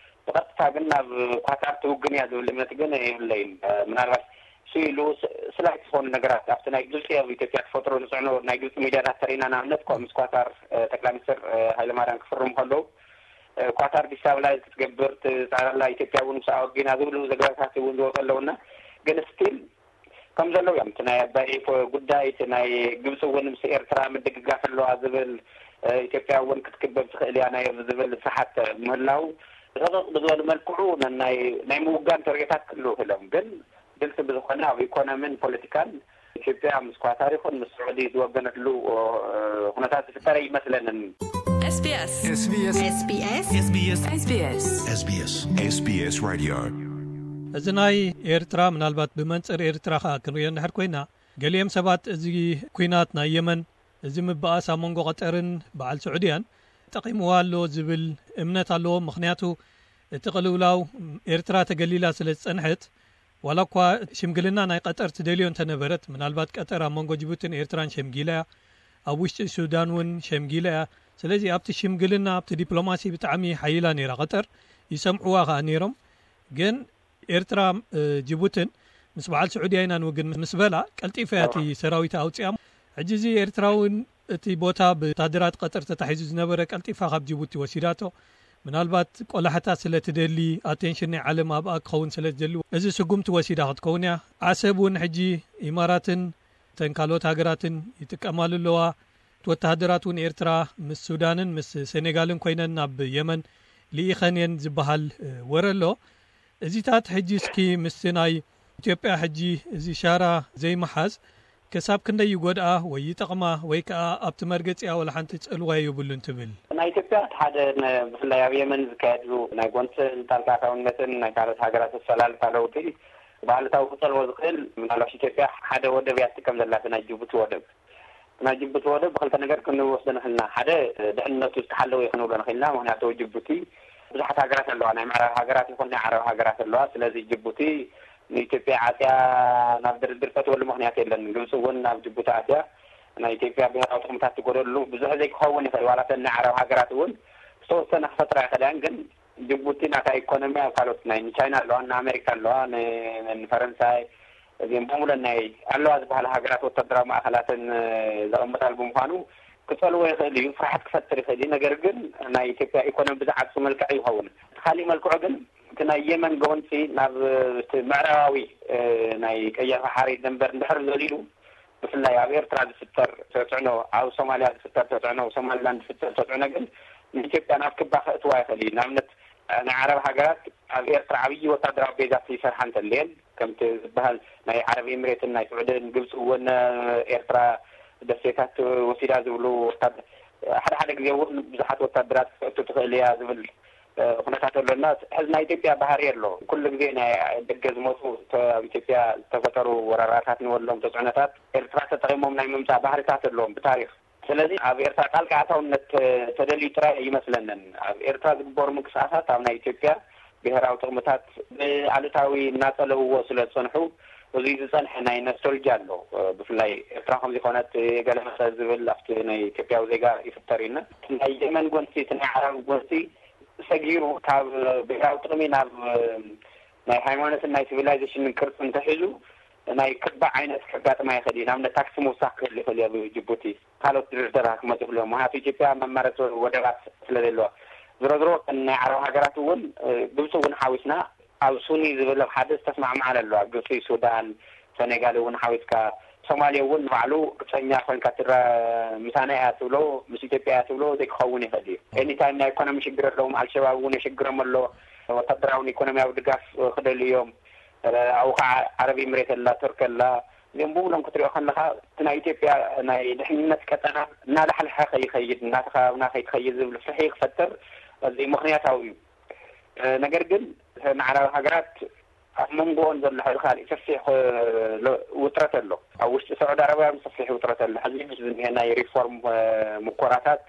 ብቐጥታ ግን ናብ ኳታር ትውግን እያ ዝብል እምነት ግን የብለይን። ምናልባት እሱ ኢሉ ስ-፣ ስላይት ዝኾኑ ነገራት ኣብቲ ናይ ግብፂ ኣብ ኢትዮጵያ ተፈጥሮ ዝፅዕኖ ናይ ግብፂ ሚድያታት ተሪና፣ ንኣብነት፣ ምስ ኳታር ጠቅላይ ሚኒስትር ሃይለማርያም ክፍርሙ ከለዉ፣ ኳታር ዲስታብላይዝ ክትገብር ትፃዕር ኣላ፣ ኢትዮጵያ እውን ምስኣ ወጊና ዝብሉ ዘገባታት እውን ዝወፁ ኣለውና፣ ግን ስቲል ከም ዘለዉ እዮም። እቲ ናይ ኣባይ ጉዳይ፣ እቲ ናይ ግብፂ እውን ምስ ኤርትራ ምድግጋፍ ኣለዋ ዝብል፣ ኢትዮጵያ እውን ክትክበብ ትኽእል እያ ናይ ዝብል ስሓት ምህላው፣ ረቕቕ ብዝበሉ መልክዑ ናይ ምውጋን ተርእዮታት ክህልዉ ክእሎም፣ ግን ግልፂ ብዝኾነ ኣብ ኢኮኖሚን ፖለቲካን ኢትዮጵያ ምስ ኳታር ይኹን ምስ ስዑዲ ዝወገነትሉ ኩነታት ዝፍጠረ ይመስለንን። SBS SBS SBS SBS SBS SBS SBS Radio። እዚ ናይ ኤርትራ፣ ምናልባት ብመንጽር ኤርትራ ከኣ ክንሪኦ እንድሕር ኮይና፣ ገሊኦም ሰባት እዚ ኲናት ናይ የመን፣ እዚ ምብኣስ ኣብ መንጎ ቀጠርን በዓል ስዑድያን ጠቒምዋ ኣሎ ዝብል እምነት ኣለዎም። ምኽንያቱ እቲ ቅልውላው ኤርትራ ተገሊላ ስለ ዝጸንሐት፣ ዋላ እኳ ሽምግልና ናይ ቀጠር ትደልዮ እንተነበረት፣ ምናልባት ቀጠር ኣብ መንጎ ጅቡትን ኤርትራን ሸምጊላ እያ፣ ኣብ ውሽጢ ሱዳን እውን ሸምጊላ እያ። ስለዚ ኣብቲ ሽምግልና፣ ኣብቲ ዲፕሎማሲ ብጣዕሚ ሓይላ ነይራ ቀጠር፣ ይሰምዕዋ ከኣ ነይሮም። ግን ኤርትራ፣ እ፣ ጅቡትን ምስ በዓል ስዑድያ ኢና ንውግን ምስ በላ፣ ቀልጢፋ እያ እቲ ሰራዊት ኣውፅያ። ሕጂ እዚ ኤርትራ እውን እቲ ቦታ ብወታደራት ቀጠር ተታሒዙ ዝነበረ ቀልጢፋ ካብ ጅቡቲ ወሲዳቶ። ምናልባት ቆላሕታ ስለ ትደሊ፣ ኣቴንሽን ናይ ዓለም ኣብኣ ክኸውን ስለ ዝደሊ፣ እዚ ስጉምቲ ወሲዳ ክትከውን እያ። ዓሰብ እውን ሕጂ ኢማራትን እተን ካልኦት ሃገራትን ይጥቀማሉ ኣለዋ። ወተሃደራት እውን ኤርትራ ምስ ሱዳንን ምስ ሴኔጋልን ኮይነን ናብ የመን ልኢኸን እየን ዝበሃል፣ እ፣ ወረ ኣሎ። እዚታት ሕጂ እስኪ ምስቲ ናይ ኢትዮጵያ ሕጂ እዚ ሻራ ዘይምሓዝ ክሳብ ክንደይ ይጎድኣ ወይ ይጠቕማ ወይ ከኣ ኣብቲ መርገጺኣ ወላ ሓንቲ ጽልዋ የብሉን ትብል? ናይ ኢትዮጵያ እቲ ሓደ ነ-፣ ብፍላይ ኣብ የመን ዝካየድሉ ናይ ጎንጽን ጣልቃ ኣታውነትን ናይ ካልኦት ሃገራት ኣሰላልፋ ለውጢ ብኣሉታዊ ክጸልዎ ዝኽእል፣ ምናልባት ኢትዮጵያ ሓደ ወደብ እያ ትጥቀም ዘላ፣ እቲ ናይ ጅቡቲ ወደብ። ናይ ጅቡቲ ወደብ ብኽልተ ነገር ክንወስዶ ንኽእል ኢና። ሓደ፣ ድሕንነቱ ዝተሓለወ እዩ ክንብሎ ንኽእል ኢና። ምኽንያቱ ጅቡቲ ብዙሓት ሃገራት ኣለዋ፣ ናይ ምዕራብ ሃገራት ይኹን ናይ ዓረብ ሃገራት ኣለዋ። ስለዚ ጅቡቲ ንኢትዮጵያ ዓፅያ ናብ ድርድር ተእትወሉ ምኽንያት የለን። ግብፂ እውን ናብ ጅቡቲ ኣትያ ናይ ኢትዮጵያ ብሄራዊ ጥቕምታት ትጎደሉ ብዙሕ ዘይክኸውን ይኽእል። ዋላ እተን ናይ ዓረብ ሃገራት እውን ዝተወሰነ ክፈጥራ ይኽእላ እየን፣ ግን ጅቡቲ ናታ ኢኮኖሚ ኣብ ካልኦት ናይ ንቻይና ኣለዋ፣ ንኣሜሪካ ኣለዋ፣ ን-፣ ንፈረንሳይ፣ እዚኦም ብምሉእ ናይ ኣለዋ ዝበሃላ ሃገራት ወታደራዊ ማእኸላተን፣ እ፣ ዘቐምጣሉ ብምዃኑ ክጸልዎ ይኽእል እዩ፣ ፍርሓት ክፈጥር ይኽእል እዩ። ነገር ግን ናይ ኢትዮጵያ ኢኮኖሚ ብዝዓብሱ መልክዕ ይኸውን። እቲ ካሊእ መልክዑ ግን እቲ ናይ የመን ጎንጺ ናብ፣ እ፣ እቲ ምዕራባዊ፣ እ፣ ናይ ቀይሕ ባሕሪ ደንበር እንድሕር ዘሊሉ፣ ብፍላይ ኣብ ኤርትራ ዝፍጠር ተጽዕኖ፣ ኣብ ሶማልያ ዝፍጠር ተጽዕኖ፣ ኣብ ሶማሊላንድ ዝፍጠር ተጽዕኖ ግን ንኢትዮጵያ ናብ ክባ ከእትዋ ይኽእል እዩ። ንኣብነት፣ ናይ ዓረብ ሃገራት ኣብ ኤርትራ ዓብዪ ወታደራዊ ቤዛት ይሰርሓ እንተለየን፣ ከምቲ ዝበሃል ናይ ዓረብ ኤምሬትን ናይ ስዑድን፣ ግብፂ እውን ኤርትራ ደሴታት ወሲዳ ዝብሉ ወታደ-፣ ሓደ ሓደ ግዜ እውን ብዙሓት ወታደራት ክተእቱ ትኽእል እያ ዝብል፣ እ፣ ኩነታት ኣሎና። ሕዚ ናይ ኢትዮጵያ ባህሪ ኣሎ። ኩሉ ግዜ ናይ ደገ ዝመፁ፣ ተ-፣ ኣብ ኢትዮጵያ ዝተፈጠሩ ወረራታት ንበሎም ተፅዕኖታት ኤርትራ ተጠቒሞም ናይ ምምፃእ ባህርታት ኣለዎም ብታሪኽ። ስለዚ ኣብ ኤርትራ ጣልቃ ኣታውነት ተ-፣ ተደልዩ ጥራይ ኣይመስለንን። ኣብ ኤርትራ ዝግበሩ ምንቅስቃሳት ኣብ ናይ ኢትዮጵያ ብሄራዊ ጥቕምታት ብኣሉታዊ እናጸለውዎ ስለ ዝጸንሑ፣ እዚ ዝጸንሐ ናይ ኖስቶልጂ ኣሎ። ብፍላይ ኤርትራ ከም ዝኾነት ገለ መሰል ዝብል ኣብቲ ናይ ኢትዮጵያዊ ዜጋ ይፍጠር እዩ። ናይ የመን ጎንፂ፣ እቲ ናይ ዓረብ ጎንፂ ሰጊሩ ካብ ብሄራዊ ጥቕሚ ናብ ናይ ሃይማኖትን ናይ ሲቪላይዜሽንን ቅርፂ እንተሒዙ ናይ ክባ ዓይነት ከጋጥማ ይኽእል እዩ። ንኣብነት ታክሲ ምውሳኽ ክህሉ ይኽእል እዩ ኣብ ጅቡቲ። ካልኦት ድርድራት ክመፁ ይኽእሉ እዮም። ምክንያቱ ኢትዮጵያ መማረፂ ወደባት ስለ ዘለዋ። ዝሮ ዝሮ እተን ናይ ዓረብ ሃገራት እውን፣ እ፣ ግብፂ እውን ሓዊስና ኣብ ሱኒ ዝብል ኣብ ሓደ ዝተስማዕማዓን ኣለዋ። ግብፂ፣ ሱዳን፣ ሰኔጋል እውን ሓዊስካ፣ ሶማሌ እውን ንባዕሉ ግብፀኛ ኮይንካ ትረ-፣ ምሳና እያ ትብሎ፣ ምስ ኢትዮጵያ እያ ትብሎ ዘይክኸውን ይኽእል እዩ። ኤኒታይም ናይ ኢኮኖሚ ሽግር ኣለዎም። ኣልሸባብ እውን የሽግሮም ኣሎ። ወታደራውን ኢኮኖሚያዊ ድጋፍ ክደልዩ እዮም። እ፣ ኣብኡ ከዓ ዓረብ ኤምሬት ኣላ፣ ቱርክ ኣላ። እዚኦም ብምሎም ክትሪኦ ከለኻ፣ እቲ ናይ ኢትዮጵያ ናይ ድሕንነት ቀጠና እናላሕለሐ ከይኸይድ፣ እናተኸባብና ከይትኸይድ ዝብል ፍርሒ ክፈጥር ኣዝዩ ምኽንያታዊ እዩ። እ፣ ነገር ግን፣ እተን ዓረብ ሃገራት ኣብ መንጎኦን ዘሎ ሕዚ ካሊእ ሰፊሕ፣ እ፣ ለ-፣ ውጥረት ኣሎ። ኣብ ውሽጢ ሳዑዲ ዓረብያ እውን ሰፊሕ ውጥረት ኣሎ። ሕዚ ምስ ዝኒሀ ናይ ሪፎርም፣ እ፣ ሙኮራታት፣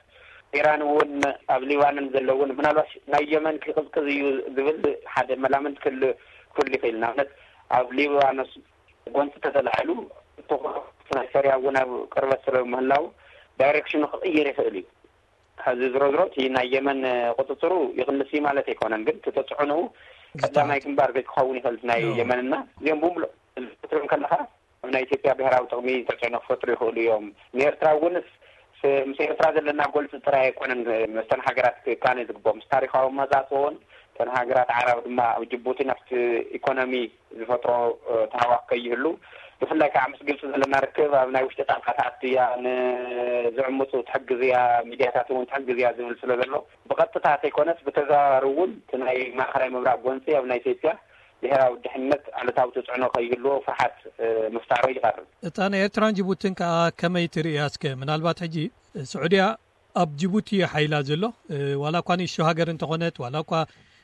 ኢራን እውን ኣብ ሊባኖን ዘለውን፣ ምናልባት ናይ የመን ክቕዝቅዝ እዩ ዝብል ሓደ መላምንት ክህሉ፣ ክህሉ ይኽእል። ንኣብነት፣ ኣብ ሊባኖስ ጎንፂ ተተላዒሉ፣ ትኹረት ናይ ሶርያ እውን ኣብ ቅርበት ስለ ምህላው ዳይሬክሽኑ ክቕይር ይኽእል እዩ። ሕዚ ዝሮ ዝሮ እቲ ናይ የመን ቁፅፅሩ ይቕንስ እዩ ማለት ኣይኮነን፣ ግን እቲ ተፅዕኖኡ ቀዳማይ ግንባር ዘይክኸውን ይኽእል ናይ የመንና እዚኦም ብምሉእ ክትሪኦም ከለኻ ኣብ ናይ ኢትዮጵያ ብሔራዊ ጥቕሚ ተፅዕኖ ክፈጥሩ ይኽእሉ እዮም። ንኤርትራ እውን ምስ ኤርትራ ዘለና ጎልፂ ጥራይ ኣይኮነን መስተን ሃገራት ክካነ ዝግብኦም ምስ ታሪካዊ መፃፅኦን እተን ሃገራት ዓራብ ድማ ኣብ ጅቡቲ ናብቲ ኢኮኖሚ ዝፈጥሮ ተሃዋክ ከይህሉ ብፍላይ ከዓ ምስ ግብፂ ዘለና ርክብ ኣብ ናይ ውሽጢ ጣልቃ ትኣትያ ንዝዕምፁ ትሕግዝያ ሚድያታት እውን ትሕግዝያ ዝብል ስለ ዘሎ ብቐጥታ ተይኮነስ ብተዘዋዋሪ እውን እቲ ናይ ማእኸላይ ምብራቅ ጎንፂ ኣብ ናይ ኢትዮጵያ ብሄራዊ ድሕነት ኣሉታዊ ተፅዕኖ ከይህልዎ ፍርሓት ምፍጣሩ ይቐርብ። እታ ናይ ኤርትራን ጅቡትን ከዓ ከመይ ትርእያ እስከ? ምናልባት ሕጂ ስዑድያ ኣብ ጅቡቲ ሓይላ ዘሎ ዋላ እኳ ንእሽቶ ሃገር እንተኾነት ዋላ እኳ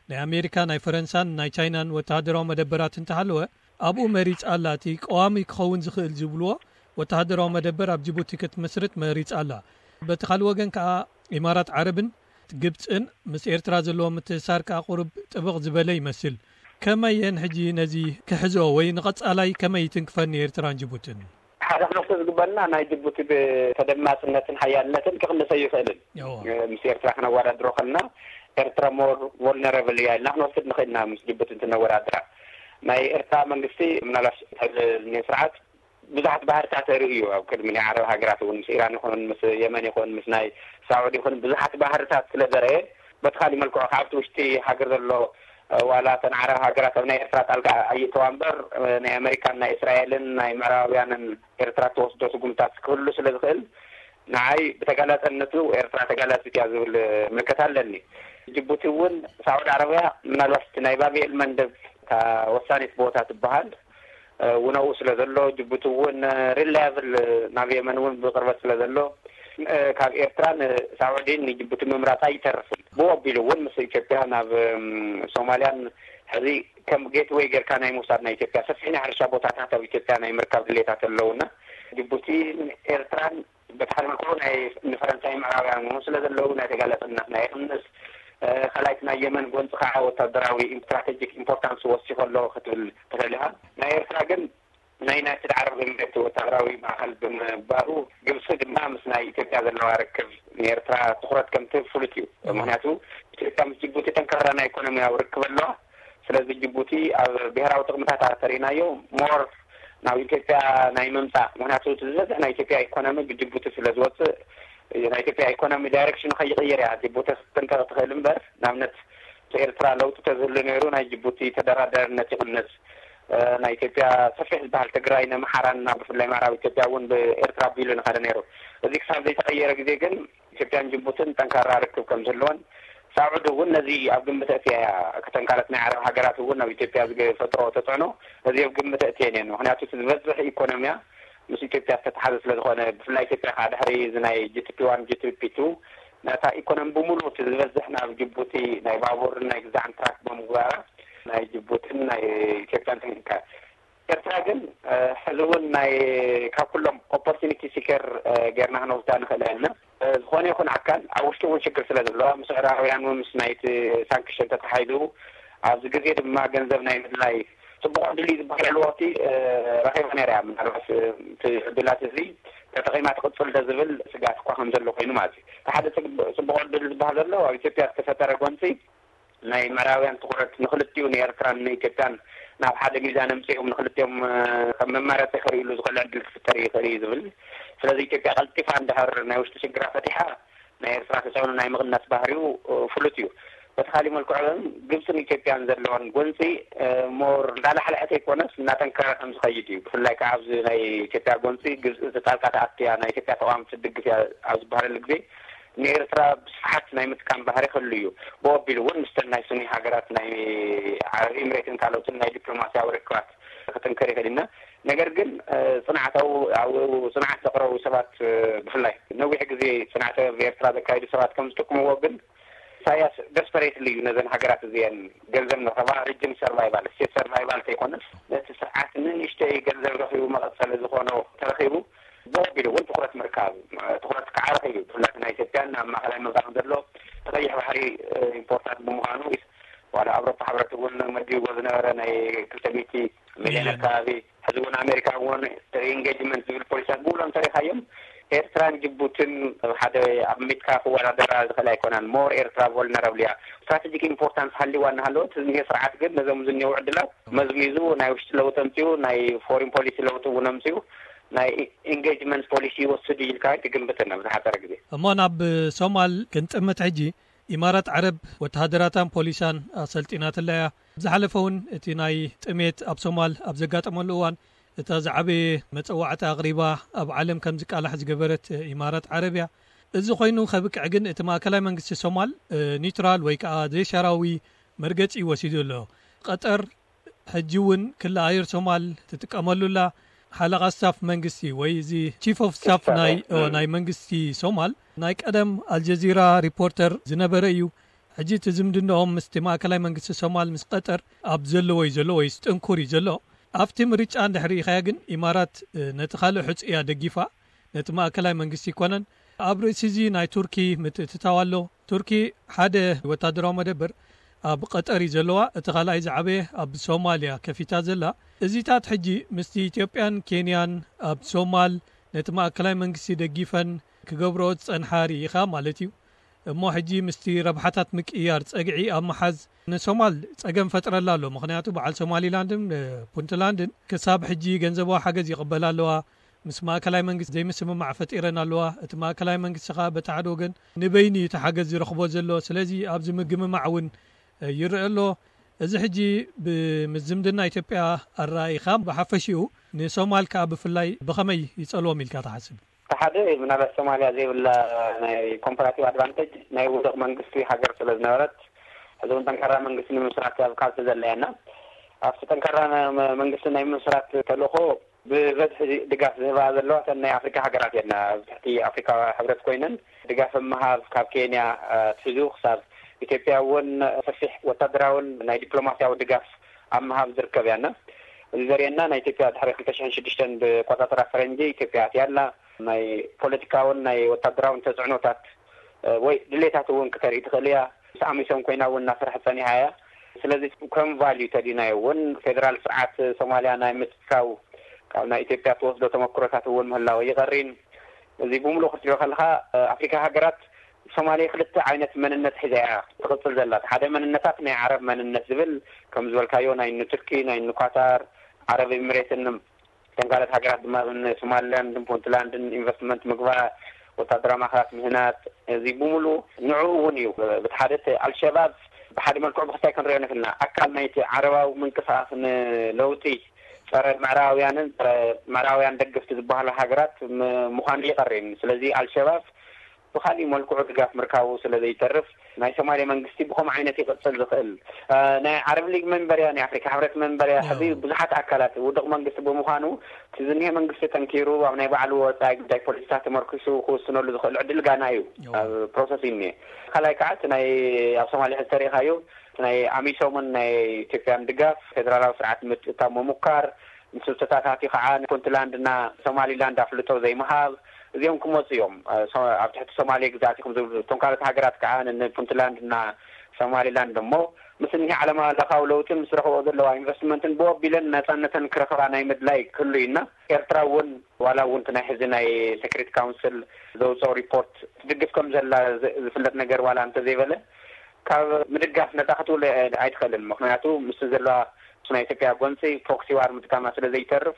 ናይ ኣሜሪካ ናይ ፈረንሳን ናይ ቻይናን ወተሃደራዊ መደበራት እንተሃለወ ኣብኡ መሪፃ ኣላ። እቲ ቀዋሚ ክኸውን ዝኽእል ዝብልዎ ወተሃደራዊ መደበር ኣብ ጅቡቲ ክትምስርት መሪፃ ኣላ። በቲ ካልእ ወገን ከዓ ኢማራት ዓረብን ግብፅን ምስ ኤርትራ ዘለዎ ምትእሳር ከዓ ቁሩብ ጥብቕ ዝበለ ይመስል። ከመይ እየን ሕጂ ነዚ ክሕዝኦ ወይ ንቐፃላይ ከመይ ይትንክፈን ንኤርትራን ጅቡትን? ሓደ ክነፍቶ ዝግበና ናይ ጅቡቲ ብተደማፅነትን ሓያልነትን ክቕንሰ ይኽእልን። ምስ ኤርትራ ክነወዳድሮ ከልና ኤርትራ more vulnerable እያ ኢልና ክንወስድ ንኽእል ኢና ምስ ጅቡቲ እንትነወዳድራ። ናይ ኤርትራ መንግስቲ ምናልባሽ ሕዚ ዝኒሀ ስርዓት ብዙሓት ባህርታት ርእዩ ኣብ ቅድሚ ናይ ዓረብ ሃገራት እውን ምስ ኢራን ይኹን ምስ የመን ይኹን ምስ ናይ ሳዑዲ ይኹን ብዙሓት ባህርታት ስለ ዘረየ በቲ ካሊእ መልክዑ ካብቲ ውሽጢ ሃገር ዘሎ ዋላ እተን ዓረብ ሃገራት ኣብ ናይ ኤርትራ ጣልቃ ኣይእተዋ እምበር ናይ ኣመሪካን ናይ እስራኤልን ናይ ምዕራባውያንን ኤርትራ እትወስዶ ስጉምታት ክህሉ ስለ ዝኽእል ንዓይ ብተጋላጸነቱ ኤርትራ ተጋላጺት እያ ዝብል ምልከታ ኣለኒ። ጅቡቲ እውን ሳዑዲ ዓረብያ ምናልባት እቲ ናይ ባብኤል መንደብ እታ ወሳኒት ቦታ ትበሃል ውነኡ ስለ ዘሎ ጅቡቲ እውን ሪላያብል ናብ የመን እውን ብቅርበት ስለ ዘሎ ካብ ኤርትራ ንሳዑዲን ንጅቡቲ ምምራፅ ኣይተርፍን። ብኡ ኣቢሉ እውን ምስ ኢትዮጵያ ናብ ሶማልያን ሕዚ ከም ጌትወይ ጌርካ ናይ ምውሳድ ናይ ኢትዮጵያ ሰፊሕ ናይ ሕርሻ ቦታታት ኣብ ኢትዮጵያ ናይ ምርካብ ድሌታት ኣለውና ጅቡቲ ኤርትራን በቲ ሓደ መልክዑ ናይ ንፈረንሳይ ምዕራብያን ምኑ ስለ ዘለዉ ናይ ተጋላጽነት ናይ ይቕንስ ካልኣይቲ ናይ የመን ጎንፂ ከዓ ወታደራዊ ስትራቴጂክ ኢምፖርታንስ ወሲኮ ኣሎ ክትብል ትኽእል ኢኻ። ናይ ኤርትራ ግን ናይ ዩናይትድ ዓረብ ኤምሬት ወታደራዊ ማእኸል ብምንባሩ ግብፂ ድማ ምስ ናይ ኢትዮጵያ ዘለዋ ርክብ ንኤርትራ ትኩረት ከምትህብ ፍሉጥ እዩ። ምክንያቱ ኢትዮጵያ ምስ ጅቡቲ ጠንካራ ናይ ኢኮኖሚያዊ ርክብ ኣለዋ። ስለዚ ጅቡቲ ኣብ ብሄራዊ ጥቕምታት ተሪእናዮ ሞር ናብ ኢትዮጵያ ናይ ምምፃእ ምክንያቱ ዝበዝሕ ናይ ኢትዮጵያ ኢኮኖሚ ብጅቡቲ ስለ ዝወፅእ ናይ ኢትዮጵያ ኢኮኖሚ ዳይሬክሽኑ ከይቕይር እያ ጅቡቲ ክትጥንቀቕ ትኽእል እምበር ንኣብነት ኤርትራ ለውጢ ተዝህሉ ነይሩ ናይ ጅቡቲ ተደራዳርነት ይቕንስ ናይ ኢትዮጵያ ሰፊሕ ዝበሃል ትግራይ ነምሓራን ናብ ብፍላይ ምዕራብ ኢትዮጵያ እውን ብኤርትራ ኣቢሉ ንኸደ ነይሩ እዚ ክሳብ ዘይተቐየረ ግዜ ግን ኢትዮጵያን ጅቡትን ጠንካራ ርክብ ከም ዝህልወን ሳዑዲ እውን ነዚ ኣብ ግምት ኣእትያ እያ እተን ካልኦት ናይ ዓረብ ሃገራት እውን ኣብ ኢትዮጵያ ዝፈጥሮ ተፅዕኖ ነዚ ኣብ ግምት ኣእትየን እየን ምክንያቱ እቲ ዝበዝሕ ኢኮኖሚያ ምስ ኢትዮጵያ ዝተተሓዘ ስለ ዝኾነ ብፍላይ ኢትዮጵያ ከዓ ድሕሪ እዚ ናይ ጂ ቲ ፒ ዋን ጂ ቲ ፒ ቱ ነታ ኢኮኖሚ ብምሉእ እቲ ዝበዝሕ ናብ ጅቡቲ ናይ ባቡርን ናይ ግዛዕን ትራክ ብምግባራ ናይ ጅቡትን ናይ ኢትዮጵያን ተንኪካ ኤርትራ ግን ሕዚ እውን ናይ ካብ ኩሎም ኦፖርቱኒቲ ሲከር ጌርና ክንወስዳ ንኽእል ኢና። ዝኾነ ይኹን ኣካል ኣብ ውሽጢ እውን ሽግር ስለ ዘለዋ ምስ ምዕራባውያን እውን ምስ ናይቲ ሳንክሽን ተተሓሒዙ ኣብዚ ግዜ ድማ ገንዘብ ናይ ምድላይ ፅቡቕ ዕድል እዩ ዝበሃል ኣለዎ እቲ ረኺባ ነይራ እያ ምናልባት እቲ ዕድላት እዚ ተጠቒማ ትቕፅል ዶ ዝብል ስግኣት እኳ ከም ዘሎ ኮይኑ ማለት እዩ። እቲ ሓደ ፅቡቕ ዕድል ዝበሃል ዘሎ ኣብ ኢትዮጵያ ዝተፈጠረ ጎንፂ ናይ ምዕራብያን ትኹረት ንክልቲኡ ንኤርትራን ንኢትዮጵያን ናብ ሓደ ሚዛን ኣምፂኦም ንክልቲኦም ከም መማረፂ ክርእይሉ ዝኽእል ዕድል ክፍጠር ይኽእል እዩ ዝብል ስለዚ ኢትዮጵያ ቀልጢፋ እንድሕር ናይ ውሽጢ ሽግራ ፈቲሓ ናይ ኤርትራ ተፅዕኖ ናይ ምቕናስ ባህሪኡ ፍሉጥ እዩ። በቲ ካሊእ መልክዑ ግን ግብፅን ኢትዮጵያን ዘለወን ጎንፂ ሞር እንዳላሕለሐ ተይኮነስ እናጠንከረ ከም ዝኸይድ እዩ። ብፍላይ ከዓ ኣብዚ ናይ ኢትዮጵያ ጎንፂ ግብፂ ጣልቃ ተኣትያ ናይ ኢትዮጵያ ተቃወምቲ ትድግፍ እያ ኣብ ዝበሃለሉ ግዜ ንኤርትራ ብስፍሓት ናይ ምጥቃም ባህሪ ክህሉ እዩ። ብኡ ኣቢሉ እውን ምስተን ናይ ሱኒ ሃገራት ናይ ዓረብ ኢምሬትን ካልኦትን ናይ ዲፕሎማስያዊ ርክባት ክጥንከር ይኽእል ኢና። ነገር ግን ፅንዓታዊ ኣብኡ ፅንዓት ዘቕረቡ ሰባት ብፍላይ ነዊሕ ግዜ ፅንዓት ኣብ ኤርትራ ዘካየዱ ሰባት ከም ዝጥቅምዎ ግን ኢሳያስ ደስፐሬትሊ እዩ ነዘን ሃገራት እዚአን ገንዘብ ንረኸባ ሪጅን ሰርቫይቫል ስቴት ሰርቫይቫል ተይኮነስ ነቲ ስርዓት ንንእሽተይ ገንዘብ ረኺቡ መቐፀሊ ዝኾኖ ተረኺቡ ብኡ ኣቢሉ እውን ትኹረት ምርካብ ትኹረት ከዓ ረኺቡ እዩ። ብፍላይ ናይ ኢትዮጵያን ኣብ ማእኸላይ ምብራቕን ዘሎ እቲ ቀይሕ ባሕሪ ኢምፖርታንት ብምዃኑ ዋላ ኣውሮፓ ሕብረት እውን መዲብዎ ዝነበረ ናይ ክልተ ሚእቲ ሚልዮን ኣካባቢ ሕዚ እውን ኣሜሪካ እውን ሪኢንጌጅመንት ዝብል ፖሊሲታት ብውሎም ተሪኻዮም። ኤርትራን ጅቡትን ሓደ ኣብ ሚትካ ክወዳደራ ዝኽእል ኣይኮናን። ሞር ኤርትራ ቮልነራብል እያ። ስትራቴጂክ ኢምፖርታንስ ሃልዋ እናሃለወት፣ እዚ ስርዓት ግን ነዞም ዝኒው ዕድላት መዝሚዙ ናይ ውሽጢ ለውጢ ኣምፅኡ፣ ናይ ፎሪን ፖሊሲ ለውጢ እውን ኣምፅኡ፣ ናይ ኢንጌጅመንት ፖሊሲ ይወስድ ኢልካ ኣይትግምትን ኣብ ዝሓፀረ ግዜ። እሞ ናብ ሶማል ክንጥምት ሕጂ፣ ኢማራት ዓረብ ወተሃደራታን ፖሊሳን ኣሰልጢናትላ እያ። ዝሓለፈ እውን እቲ ናይ ጥሜት ኣብ ሶማል ኣብ ዘጋጠመሉ እዋን፣ እታ ዝዓበየ መጸዋዕታ ኣቕሪባ ኣብ ዓለም ከም ዝቃላሕ ዝገበረት ኢማራት ዓረብ እያ። እዚ ኮይኑ ከብቅዕ ግን እቲ ማእከላይ መንግስቲ ሶማል ኒውትራል ወይ ከዓ ዘይሻራዊ መርገጺ ወሲዱ ኣሎ። ቀጠር ሕጂ እውን ክሊ ኣየር ሶማል ትጥቀመሉ ኣላ። ሓለቓ ስታፍ መንግስቲ ወይ እዚ ቺፍ ኦፍ ስታፍ ናይ ናይ መንግስቲ ሶማል፣ ናይ ቀደም ኣልጀዚራ ሪፖርተር ዝነበረ እዩ። ሕጂ እቲ ዝምድናኦም ምስቲ ማእከላይ መንግስቲ ሶማል ምስ ቀጠር ኣብ ዘለዎ እዩ ዘሎ፣ ወይ ጥንኩር እዩ ዘሎ። ኣብቲ ምርጫ እንድሕር ርኢኻያ ግን ኢማራት ነቲ ካልእ ሕጹ እያ ደጊፋ፣ ነቲ ማእከላይ መንግስቲ ኣይኮነን። ኣብ ርእሲ እዚ ናይ ቱርኪ ምትእትታው ኣሎ። ቱርኪ ሓደ ወታደራዊ መደበር ኣብ ቀጠር እዩ ዘለዋ፣ እቲ ካልኣይ ዝዓበየ ኣብ ሶማልያ ከፊታ ዘላ። እዚታት ሕጂ ምስቲ ኢትዮጵያን ኬንያን ኣብ ሶማል ነቲ ማእከላይ መንግስቲ ደጊፈን ክገብርኦ ዝጸንሓ ርኢኻ ማለት እዩ። እሞ ሕጂ ምስቲ ረብሓታት ምቅይያር ጸግዒ ኣብ ምሓዝ ንሶማል ጸገም ፈጥረላ ኣሎ። ምኽንያቱ በዓል ሶማሊላንድን ፑንትላንድን ክሳብ ሕጂ ገንዘባዊ ሓገዝ ይቕበላ ኣለዋ። ምስ ማእከላይ መንግስቲ ዘይምስምማዕ ፈጢረን ኣለዋ። እቲ ማእከላይ መንግስቲ ኸኣ በቲ ሓደ ወገን ንበይኑ እዩ እቲ ሓገዝ ዝረኽቦ ዘሎ። ስለዚ ኣብዚ ምግምማዕ እውን ይረአ ኣሎ። እዚ ሕጂ ብምዝምድና ኢትዮጵያ ኣረኣኢኻ ብሓፈሽኡ ንሶማል ከኣ ብፍላይ ብኸመይ ይጸልዎም ኢልካ ትሓስብ? እቲ ሓደ ምናልባት ሶማልያ ዘይብላ ናይ ኮምፓራቲቭ ኣድቫንቴጅ ናይ ውድቕ መንግስቲ ሃገር ስለ ዝነበረት፣ ሕዚ እውን ጠንካራ መንግስቲ ንምስራት ኣብ ቃልሲ ዘላ እያ። ኣብቲ ጠንካራ መ-፣ መንግስቲ ናይ ምስራት ተልእኾ ብበዝሒ ድጋፍ ዝህባ ዘለዋ እተን ናይ ኣፍሪካ ሃገራት እየን። ኣብ ትሕቲ ኣፍሪካ ሕብረት ኮይነን ድጋፍ ምሃብ ካብ ኬንያ ኣትሒዙ ክሳብ ኢትዮጵያ እውን ሰፊሕ ወታደራውን ናይ ዲፕሎማሲያዊ ድጋፍ ኣብ ምሃብ ዝርከብ እያና። እዚ ዘርእየና ናይ ኢትዮጵያ ድሕሪ ክልተ ሽሕን ሽዱሽተን ብቆጻጽራ ፈረንጂ ኢትዮጵያ ኣትያ ኣላ። ናይ ፖለቲካውን ናይ ወታደራውን ተጽዕኖታት ወይ ድሌታት እውን ክተርኢ ትኽእል እያ። ምስ ኣሚሶም ኮይና እውን እናሰርሐት ጸኒሓ እያ። ስለዚ ከም ቫልዩ ተዲናዮ እውን ፌደራል ስርዓት ሶማልያ ናይ ምትካው ካብ ናይ ኢትዮጵያ ትወስዶ ተመክሮታት እውን ምህላወ ይቐሪን። እዚ ብምሉእ ክትሪኦ ከለኻ ኣፍሪካ ሃገራት ሶማሌ ክልተ ዓይነት መንነት ሒዛ እያ ትቕጽል ዘላ። ሓደ መንነታት ናይ ዓረብ መንነት ዝብል ከም ዝበልካዮ ናይ ኑቱርኪ ናይ ኑኳታር ዓረብ ኤሚሬትን እተን ካልኦት ሃገራት ድማ ሶማሊላንድን ፑንትላንድን ኢንቨስትመንት ምግባር፣ ወታደራዊ ማእኸላት ምህናጽ፣ እዚ ብምሉ ንዕኡ እውን እዩ። ብቲ ሓደ እቲ ኣልሸባብ ብሓደ መልክዑ ብክልታይ ክንሪኦ ንኽእልና፣ ኣካል ናይቲ ዓረባዊ ምንቅስቃስ ንለውጢ ጸረ ምዕራባውያንን ጸረ ምዕራባውያን ደገፍቲ ዝበሃሉ ሃገራት ም-፣ ምዃኑ ይቐሬን። ስለዚ ኣልሸባብ ብኻሊእ መልክዑ ድጋፍ ምርካቡ ስለ ዘይተርፍ ናይ ሶማሌ መንግስቲ ብኸምኡ ዓይነት ይቕጽል ዝኽእል። ናይ ዓረብ ሊግ መንበርያ፣ ናይ ኣፍሪካ ሕብረት መንበርያ ሕዚ ብዙሓት ኣካላት ውድቕ መንግስቲ ብምዃኑ እቲ ዝኒሀ መንግስቲ ጠንኪሩ ኣብ ናይ ባዕሉ ወፃኢ ጉዳይ ፖሊሲታት ተመርኪሱ ክውስነሉ ዝኽእል ዕድል ጋና እዩ ኣብ ፕሮሰስ እዩ እኒሀ። ካልኣይ ከዓ እቲ ናይ ኣብ ሶማሌ ሕዚ ተሪኢኻዮ ናይ ኣሚሶምን ናይ ኢትዮጵያን ድጋፍ ፌደራላዊ ስርዓት ምጥታም ምሙካር ምስ ተታታፊ ከዓ ንፑንትላንድ እና ሶማሊላንድ ኣፍልጦ ዘይምሃብ እዚኦም ክመፁ እዮም። ኣብ ትሕቲ ሶማሌ ግዛት ኢኹም ዝብሉ እቶም ካልኦት ሃገራት ከዓ ንፑንትላንድ እና ሶማሊላንድ እሞ ምስ እኒህ ዓለም ለኻዊ ለውጥን ምስ ረኽቦ ዘለዋ ኢንቨስትመንትን ብወቢለን ነፃነተን ክረኽባ ናይ ምድላይ ክህሉ እዩና። ኤርትራ እውን ዋላ እውን ናይ ሕዚ ናይ ሴክሪት ካውንስል ዘውፅኦ ሪፖርት ትድግፍ ከም ዘላ ዝፍለጥ ነገር ዋላ እንተዘይበለ ካብ ምድጋፍ ነፃ ክትውለ ኣይትኽእልን። ምክንያቱ ምስ ዘለዋ ናይ ኢትዮጵያ ጎንፂ ፕሮክሲ ዋር ምጥቃማ ስለ ዘይተርፍ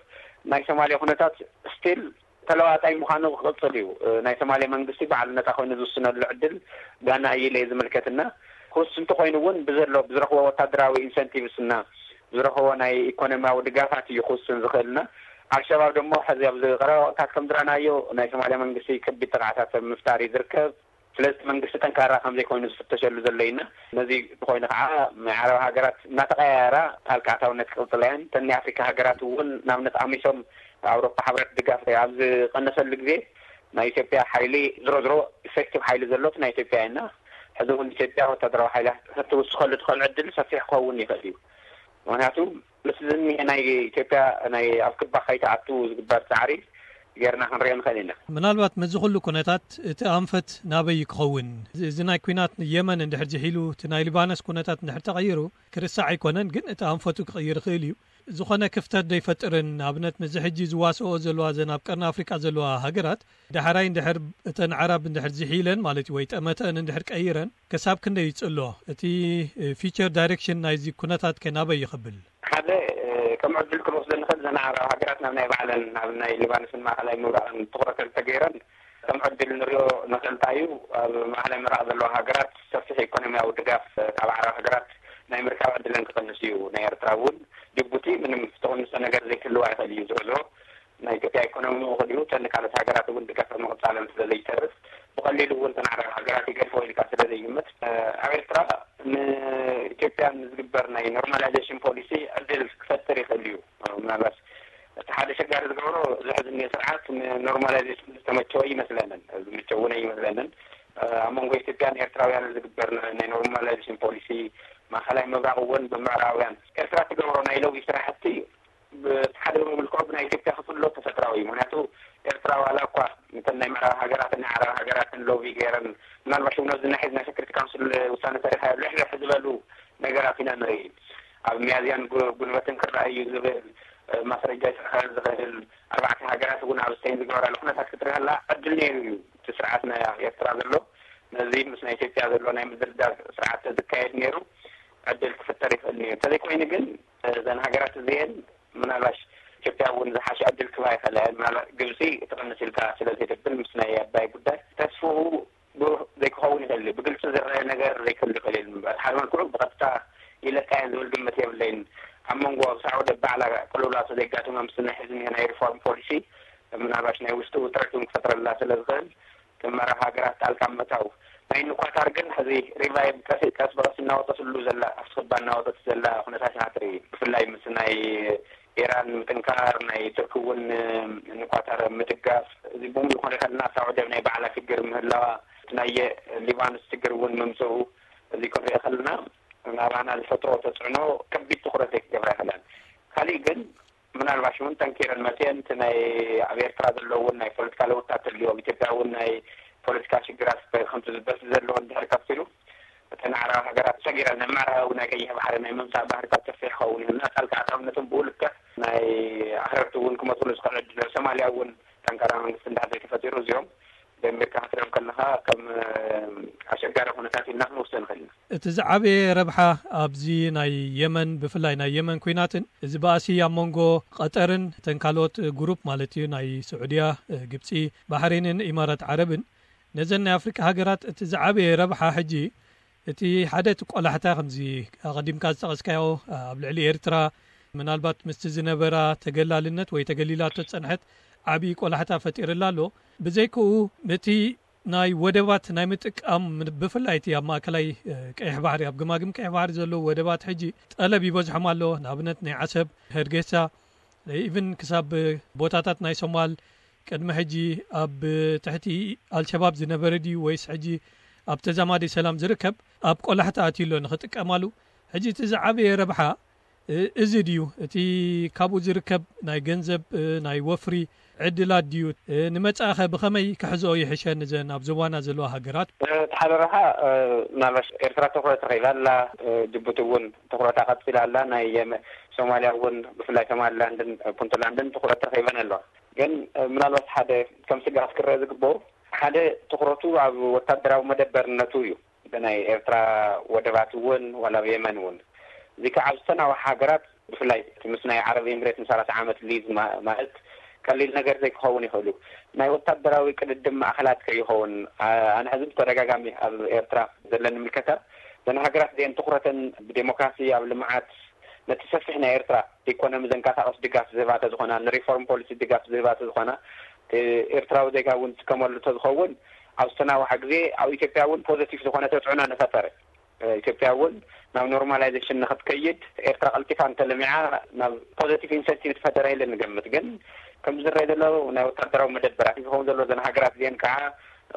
ናይ ሶማሌ ኩነታት ስቲል ተለዋጣይ ምዃኑ ክቕፅል እዩ። ናይ ሶማሌ መንግስቲ ባዕሉ ነፃ ኮይኑ ዝውስነሉ ዕድል ጋና እዩ ኢለ ዝምልከትና። ክውስንቲ ኮይኑ እውን ብዘሎ ብዝረኽቦ ወታደራዊ ኢንሰንቲቭስ እና ብዝረኽቦ ናይ ኢኮኖሚያዊ ድጋፋት እዩ ክውስን ዝኽእልና። ኣልሸባብ ደሞ ሕዚ ኣብዚ ቀረባ ወቅታት ከም ዝረኣናዮ ናይ ሶማሊያ መንግስቲ ከቢድ ጥቕዓታት ኣብ ምፍጣር እዩ ዝርከብ። ስለዚ መንግስቲ ጠንካራ ከም ዘይኮይኑ ዝፍተሸሉ ዘሎ ኢና። ነዚ ኮይኑ ከዓ ናይ ዓረብ ሃገራት እናተቀያየራ ጣልቃ ኣታውነት ክቅፅላ እየን። እተን ናይ ኣፍሪካ ሃገራት እውን ንኣብነት ኣሚሶም ኣውሮፓ ሕብረት ድጋፍ ኣብ ዝቀነሰሉ ግዜ ናይ ኢትዮጵያ ሓይሊ ዝሮ ዝሮ ኢፌክቲቭ ሓይሊ ዘሎት ናይ ኢትዮጵያ እየና። ሕዚ እውን ኢትዮጵያ ወታደራዊ ሓይላ ክትውስኸሉ ትኽእል ዕድል ሰፊሕ ክኸውን ይኽእል እዩ። ምክንያቱ ምስ ዝኒሀ ናይ ኢትዮጵያ ናይ ኣብ ክባ ከይትኣቱ ዝግበር ፃዕሪ ጌርና ክንሪኦ ንኽእል ኢና። ምናልባት ምስዚ ኩሉ ኩነታት እቲ ኣንፈት ናበይ ክኸውን? እዚ ናይ ኩናት የመን እንድሕር ዝሒሉ እቲ ናይ ሊባኖስ ኩነታት እንድሕር ተቐይሩ ክርሳዕ ኣይኮነን፣ ግን እቲ ኣንፈቱ ክቕይር ይኽእል እዩ። ዝኾነ ክፍተት ዶ ይፈጥርን? ንኣብነት፣ ምስዚ ሕጂ ዝዋስኦ ዘለዋ፣ ዘን ኣብ ቀርኒ ኣፍሪቃ ዘለዋ ሃገራት፣ ዳሕራይ እንድሕር እተን ኣዕራብ እንድሕር ዝሒለን ማለት እዩ፣ ወይ ጠመተአን እንድሕር ቀይረን፣ ክሳብ ክንደይ ይጽሎ? እቲ ፊቸር ዳይሬክሽን ናይዚ ኩነታት ከ ናበይ ይኸብል? ሓደ፣ ከም ዕድል ክንወስዶ ንኽእል፣ ዘን ኣዕራብ ሃገራት ናብ ናይ ባዕለን፣ ናብ ናይ ሊባኖስን ማእኸላይ ምብራቕን ትኹረት እንተገይረን፣ ከም ዕድል ንሪኦ ንኽእል። እንታይ እዩ፣ ኣብ ማእኸላይ ምብራቕ ዘለዋ ሃገራት ሰፊሕ ኢኮኖሚያዊ ድጋፍ ካብ ኣዕራብ ሃገራት ናይ ምርካብ ዕድለን ክቕንስ እዩ። ናይ ኤርትራ እውን፣ ጅቡቲ ምንም ትቕንሶ ነገር ዘይክህልዋ ይኽእል እዩ። ዝሮ ዝሮ ናይ ኢትዮጵያ ኢኮኖሚ ምእኹል እዩ። እተን ካልኦት ሃገራት እውን ድጋፍ ምቕጻለን ስለ ዘይተርፍ፣ ብቐሊሉ እውን እተን ኣዕራብ ሃገራት ይገድፎ ኢልካ ስለ ዘይግመት፣ ኣብ ኤርትራ ንኢትዮጵያ ንዝግበር ናይ ኖርማላይዜሽን ፖሊሲ ዕድል ክፈጥር ይኽእል እዩ። ምናልባት እቲ ሓደ ኣሸጋሪ ዝገብሮ፣ እዚ ሕዚ እኒኦ ስርዓት ንኖርማላይዜሽን ዝተመቸወ ይመስለንን፣ ዝምቸው እውን ኣይመስለንን። ኣብ መንጎ ኢትዮጵያን ኤርትራውያን ዝግበር ናይ ኖርማላይዜሽን ፖሊሲ፣ ማእኸላይ ምብራቕ እውን ብምዕራባውያን፣ ኤርትራ ትገብሮ ናይ ሎቢ ስራሕቲ ብሓደ ብምልክዑ ብናይ ኢትዮጵያ ክፍሎ ተፈጥራዊ እዩ። ምክንያቱ ኤርትራ ዋላ እኳ እተን ናይ ምዕራብ ሃገራትን ናይ ዓረብ ሃገራትን ሎቢ ገይረን፣ ምናልባት እውን ኣብዚ ናይ ሕዚ ናይ ሴኩሪቲ ካውንስል ውሳነ ተሪኻዮ፣ ልሕልሕ ዝበሉ ነገራት ኢና ንርኢ። ኣብ ሚያዝያን ጉ-፣ ጉንበትን ክረኣይ እዩ ዝብል፣ እ፣ ማስረጃ ይስዕር ዝኽእል፣ ኣርባዕተ ሃገራት እውን ኣብ ስፔን ዝገበራሉ ኩነታት ክትርኢ ከላ ዕድል ነይሩ እዩ። እቲ ስርዓት ናይ ኤርትራ ዘሎ፣ ነዚ ምስ ናይ ኢትዮጵያ ዘሎ ናይ ምድርዳር ስርዓት ተዝካየድ ነይሩ፣ ዕድል ክፍጠር ይኽእል ነይሩ። እንተዘይኮይኑ ግን፣ እዘን ሃገራት እዚኤን ምናልባሽ ኢትዮጵያ እውን ዝሓሸ ዕድል ክባ ይኽእላ እየን። ምናልባት ግብፂ ትቕንስ ኢልካ ስለ ዘይትብል፣ ምስ ናይ ኣባይ ጉዳይ ተስፍኡ ብሩህ ዘይክኸውን ይኽእል እዩ። ብግልፂ ዝረአ ነገር ዘይክህሉ ይኽእል እዩ። በቲ ሓደ መልክዑ ብቐጥታ ይለቃ እየን ዝብል ግምት የብለይን። ኣብ መንጎ ሳዑዲ ባዕላ ቅልውላቱ ዘጋጥማ፣ ምስ ናይ ሕዚ ናይ ሪፎርም ፖሊሲ ምናልባሽ ናይ ውሽጢ ውጥረት እውን ክፈጥረላ ስለ ዝኽእል፣ ከም ምዕራብ ሃገራት ጣልቃ ምእታው። ናይ ንኳታር ግን ሕዚ ሪቫይቭ ቀስ፣ ቀስ ብቐስ እናወጠትሉ ዘላ፣ ኣፍስባ እናወጠት ዘላ ኩነታት ኢና ትርኢ። ብፍላይ ምስ ናይ ኢራን ምጥንካር፣ ናይ ቱርኪ እውን ንኳታር ምድጋፍ፣ እዚ ብምሉእ ክንርኢ ከለና፣ ሳዑዲ ኣብ ናይ ባዕላ ሽግር ምህላዋ፣ እቲ ናይ ሊባኖስ ሽግር እውን ምምፅኡ፣ እዚ ክንሪኦ ከለና፣ ናባና ዝፈጥሮ ተፅዕኖ ከቢድ ትኹረት ዘይክገብራ ይኽእላን። ካሊእ ግን፣ ምናልባሽ እውን ጠንኪረን መፅየን፣ እቲ ናይ ኣብ ኤርትራ ዘሎ እውን ናይ ፖለቲካ ለውጥታት ተልዩ፣ ኣብ ኢትዮጵያ እውን ናይ ፖለቲካ ሽግራት ከምቲ ዝበስ ዘለዎን ድሕሪ ቀፂሉ፣ እተን ኣዕራብ ሃገራት ሰጊረን ናብ ምዕራብ ናይ ቀይሕ ባሕሪ ናይ ምምፃእ ባህርታት ሰፊሕ ክኸውን ይኽእል። ጣልቃ ኣእታውነትን ብኡ ልክዕ ናይ ኣኽረርቲ እውን ክመፅሉ ዝኽእል ዕድል፣ ሶማልያ እውን ጠንካራ መንግስቲ እንዳሕር ዘይተፈጢሩ፣ እዚኦም ብኣሜሪካ ክትሪኦም ከለኻ ከም፣ እ፣ ኣሸጋሪ ኩነታት ኢልና ክንወስዶ ንኽእል ኢና። እቲ ዝዓበየ ረብሓ ኣብዚ ናይ የመን፣ ብፍላይ ናይ የመን ኲናትን እዚ ባእሲ ኣብ መንጎ ቀጠርን እተን ካልኦት ግሩፕ ማለት እዩ፣ ናይ ስዑድያ፣ እ፣ ግብጺ፣ ባሕሬንን ኢማራት ዓረብን፣ ነዘን ናይ ኣፍሪቃ ሃገራት እቲ ዝዓበየ ረብሓ ሕጂ፣ እቲ ሓደ እቲ ቆላሕታ ከምዚ ኣቐዲምካ ዝጠቐስካዮ ኣብ ልዕሊ ኤርትራ፣ ምናልባት ምስቲ ዝነበራ ተገላልነት ወይ ተገሊላቶ ዝጸንሐት ዓቢ ቆላሕታ ፈጢርላ ኣሎ። ብዘይክኡ፣ እቲ ናይ ወደባት ናይ ምጥቃም፣ ብፍላይ እቲ ኣብ ማእከላይ፣ እ፣ ቀይሕ ባሕሪ፣ ኣብ ግማግም ቀይሕ ባሕሪ ዘለዉ ወደባት ሕጂ ጠለብ ይበዝሖም ኣሎ። ንኣብነት ናይ ዓሰብ፣ ሀርጌሳ፣ ኢቭን ክሳብ ቦታታት ናይ ሶማል፣ ቅድሚ ሕጂ ኣብ ትሕቲ ኣልሸባብ ዝነበረ ድዩ ወይስ ሕጂ ኣብ ተዛማዲ ሰላም ዝርከብ፣ ኣብ ቆላሕታ ኣትዩ ኣሎ ንኽጥቀማሉ? ሕጂ እቲ ዝዓበየ ረብሓ፣ እ፣ እዚ ድዩ? እቲ ካብኡ ዝርከብ ናይ ገንዘብ፣ እ፣ ናይ ወፍሪ ዕድላት ድዩ? እ፣ ንመጻኢኸ ብኸመይ ክሕዝኦ ይሕሸ ንዘን ኣብ ዞባና ዘለዋ ሃገራት? እቲ ሓደ ረብሓ፣ እ፣ ምናልባሽ ኤርትራ ትኹረት ረኺባ ኣላ፣ እ፣ ጅቡቲ እውን ትኹረታ ቀጺላ ኣላ። ናይ የመ-፣ ሶማልያ እውን ብፍላይ ሶማሊላንድን ፑንትላንድን ትኹረት ረኺበን ኣለዋ። ግን፣ እ፣ ምናልባት ሓደ ከም ስግኣት ክረአ ዝግበኦ፣ ሓደ ትኹረቱ ኣብ ወታደራዊ መደበርነቱ እዩ። እቲ ናይ ኤርትራ ወደባት እውን ዋላ ኣብ የመን እውን። እዚ ከዓ ኣብ ዝተናውሐ ሃገራት ብፍላይ እቲ ምስ ናይ ዓረብ ኤምሬት ንሰላሳ ዓመት ሊዝ ማ-፣ ማለት ቀሊል ነገር ዘይክኸውን ይኽእል እዩ። ናይ ወታደራዊ ቅድድም ማእኸላት ከይኸውን፣ ኣ-፣ ኣነ ሕዚ ብተደጋጋሚ ኣብ ኤርትራ ዘለኒ ምልከታ፣ እዘን ሃገራት እዚአን ትኹረተን ብዴሞክራሲ፣ ኣብ ልምዓት፣ ነቲ ሰፊሕ ናይ ኤርትራ ኢኮኖሚ ዘንቀሳቐስ ድጋፍ ዝህባ ተዝኾና፣ ንሪፎርም ፖሊሲ ድጋፍ ዝህባ ተዝኾና፣ እቲ ኤርትራዊ ዜጋ እውን ዝጥቀመሉ ተዝኸውን፣ ኣብ ዝተናውሐ ግዜ ኣብ ኢትዮጵያ እውን ፖዘቲቭ ዝኾነ ተፅዕኖ ንፈጠረ። ኢትዮጵያ እውን ናብ ኖርማላይዜሽን ንኽትከይድ፣ ኤርትራ ቀልጢፋ እንተለሚዓ ናብ ፖዘቲቭ ኢንሰንቲቭ ትፈጠረ ኢለ ንገምት። ግን ከም ዝረአ ዘሎ ናይ ወታደራዊ መደበራት ዝኸውን ዘሎ፣ እዘን ሃገራት እዚአን ከዓ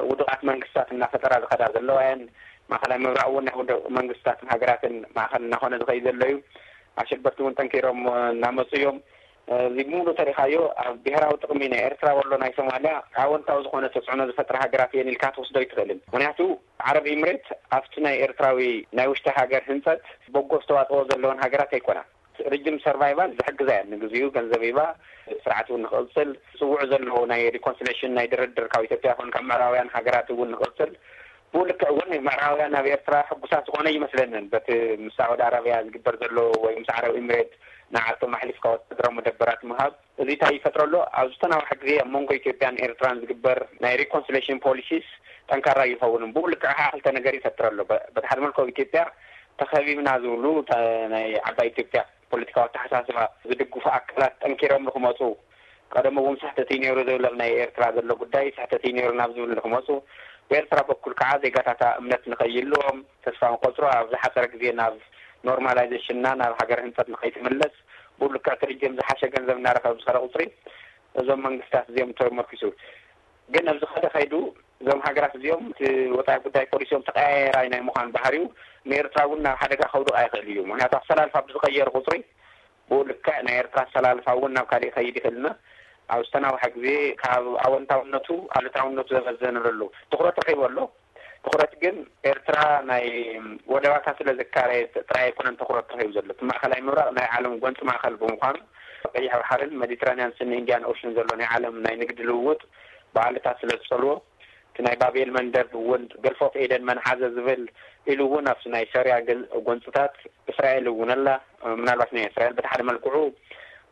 ውዱቓት መንግስታት እናፈጠራ ዝኸዳ ዘለዋ እየን። ማእኸላይ ምብራቕ እውን ናይ ውዱቕ መንግስታትን ሃገራትን ማእኸል እናኾነ ዝኸይድ ዘሎ እዩ። ኣሸበርቲ እውን ጠንኪሮም እናመፁ እዮም። እዚ ብምሉእ ተሪኻዮ ኣብ ብሄራዊ ጥቕሚ ናይ ኤርትራ ወሎ ናይ ሶማልያ ኣወንታዊ ዝኾነ ተፅዕኖ ዝፈጥራ ሃገራት እየን ኢልካ ትወስዶ ኣይትኽእልን። ምክንያቱ ዓረብ ኢምሬት ኣብቲ ናይ ኤርትራዊ ናይ ውሽጢ ሃገር ህንፀት በጎ ኣስተዋፅኦ ዘለወን ሃገራት ኣይኮናን። ሪጅም ሰርቫይቫል ዝሕግዛ እያ። ንግዚኡ ገንዘብ ሂባ ስርዓት እውን ንክቕፅል፣ ዝፅውዑ ዘለዉ ናይ ሪኮንሲሌሽን ናይ ድርድር ካብ ኢትዮጵያ ይኹን ካብ ምዕራባውያን ሃገራት እውን ንክቕፅል። ብኡ ልክዕ እውን ምዕራባውያን ኣብ ኤርትራ ሕጉሳት ዝኾነ ይመስለንን በቲ ምስ ሳዑዲ ኣረብያ ዝግበር ዘሎ ወይ ምስ ዓረብ ኤምሬት ንዓቶም ኣሕሊፍካ ወታደራዊ መደበራት ምሃብ። እዚ እንታይ ይፈጥረሎ? ኣብ ዝተናውሐ ግዜ ኣብ መንጎ ኢትዮጵያን ኤርትራን ዝግበር ናይ ሪኮንሲሌሽን ፖሊሲስ ጠንካራ ይኸውን። ብኡ ልክዕ ከዓ ክልተ ነገር ይፈጥረሎ። በ- በቲ ሓደ መልክዑ ኢትዮጵያ ተኸቢብና ዝብሉ ተ- ናይ ዓባይ ኢትዮጵያ ፖለቲካዊ ኣተሓሳስባ ዝድግፉ ኣካላት ጠንኪሮም ንክመፁ፣ ቀደም እውን ስሕተት እዩ ነይሩ ዝብል ኣብ ናይ ኤርትራ ዘሎ ጉዳይ ስሕተት እዩ ነይሩ ናብ ዝብል ንክመፁ፣ ብኤርትራ በኩል ከዓ ዜጋታታ እምነት ንከይልዎም፣ ተስፋ ንቆፅሮ፣ ኣብ ዝሓፀረ ግዜ ናብ ኖርማላይዜሽንና ናብ ሃገር ህንፀት ንከይትምለስ፣ ብኡ ልክዕ እቲ ሪጅም ዝሓሸ ገንዘብ እናረኸበ ብዝኸደ ቁፅሪ እዞም መንግስታት እዚኦም ተመርኪሱ። ግን ኣብዚ ከደ ከይዱ እዞም ሃገራት እዚኦም እቲ ወፃኢ ጉዳይ ፖሊሲኦም ተቀያየራይ ናይ ምዃን ባህሪው ንኤርትራ እውን ናብ ሓደጋ ከውድቕ ኣይኽእል እዩ። ምክንያቱ ኣሰላልፋ ብዝቀየሩ ቁፅሪ ብኡ ልክዕ ናይ ኤርትራ ኣሰላልፋ እውን ናብ ካሊእ ይኸይድ ይኽእልና። ኣብ ዝተናውሐ ግዜ ካብ ኣወንታውነቱ ኣሉታውነቱ ዘመዘነ ዘሎ ትኹረት ረኺቡ ኣሎ። ትኹረት ግን ኤርትራ ናይ ወደባታ ስለ ዘካረየት ጥራይ ኣይኮነን ትኹረት ረኺቡ ዘሎ። እቲ ማእኸላይ ምብራቕ ናይ ዓለም ጎንፂ ማእኸል ብምዃኑ ቀይሕ ባሕርን ሜዲትራንያን ስኒ ኢንዲያን ኦሽን ዘሎ ናይ ዓለም ናይ ንግዲ ልውውጥ ብዓልታት ስለ ዝፀልዎ እቲ ናይ ባቤል መንደብ እውን ገልፍ ኦፍ ኤደን መንሓዘ ዝብል ኢሉ እውን ኣብቲ ናይ ሶርያ ገን- ጎንፅታት እስራኤል እውን ኣላ። ምናልባት ናይ እስራኤል በቲ ሓደ መልክዑ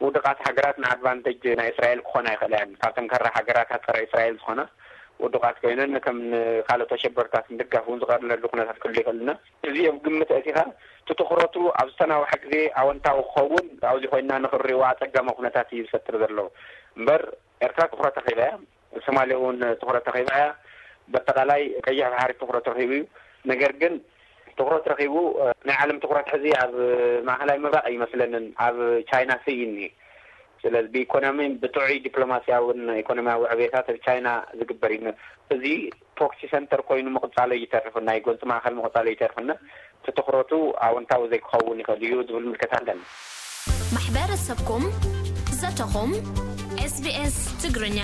ውድቓት ሃገራት ንኣድቫንቴጅ ናይ እስራኤል ክኾና ይኽእላ እየን። ካብ ጠንካራ ሃገራት ጸረ እስራኤል ዝኾና ውድቓት ኮይነን ከም ንካልኦት ኣሸበርታት ምድጋፍ እውን ዝቐርለሉ ኩነታት ክህሉ ይኽእልና። እዚ ኣብ ግምት ኣእቲኻ እቲ ትኹረቱ ኣብ ዝተናውሐ ግዜ ኣወንታዊ ክኸውን ኣብዚ ኮይና ንኽንሪኦ ኣጸጋሚ ኩነታት እዩ ዝፈጥር ዘሎ። እምበር ኤርትራ ትኹረት ረኺባ እያ። ሶማሌ እውን ትኹረት ረኺባ እያ። በጠቓላይ ቀይሕ ባሕሪ ትኹረት ረኺቡ እዩ። ነገር ግን ትኹረት ረኺቡ ናይ ዓለም ትኹረት ሕዚ ኣብ ማእኸላይ ምብራቕ ይመስለንን ኣብ ቻይና ስኢኒ። ስለዚ ብኢኮኖሚ ብጥዑይ ዲፕሎማሲያውን ኢኮኖሚያዊ ዕቤታት ኣብ ቻይና ዝግበር እዩ። እዚ ፕሮክሲ ሰንተር ኮይኑ ምቕፃሎ ይተርፍና፣ ናይ ጎንፂ ማእኸል ምቕፃሎ ይተርፍና። እቲ ትኹረቱ ኣወንታዊ ዘይክኸውን ይኽእል እዩ ዝብል ምልከታ ኣለና። ማሕበረሰብኩም ዘተኹም ኤስቢኤስ ትግርኛ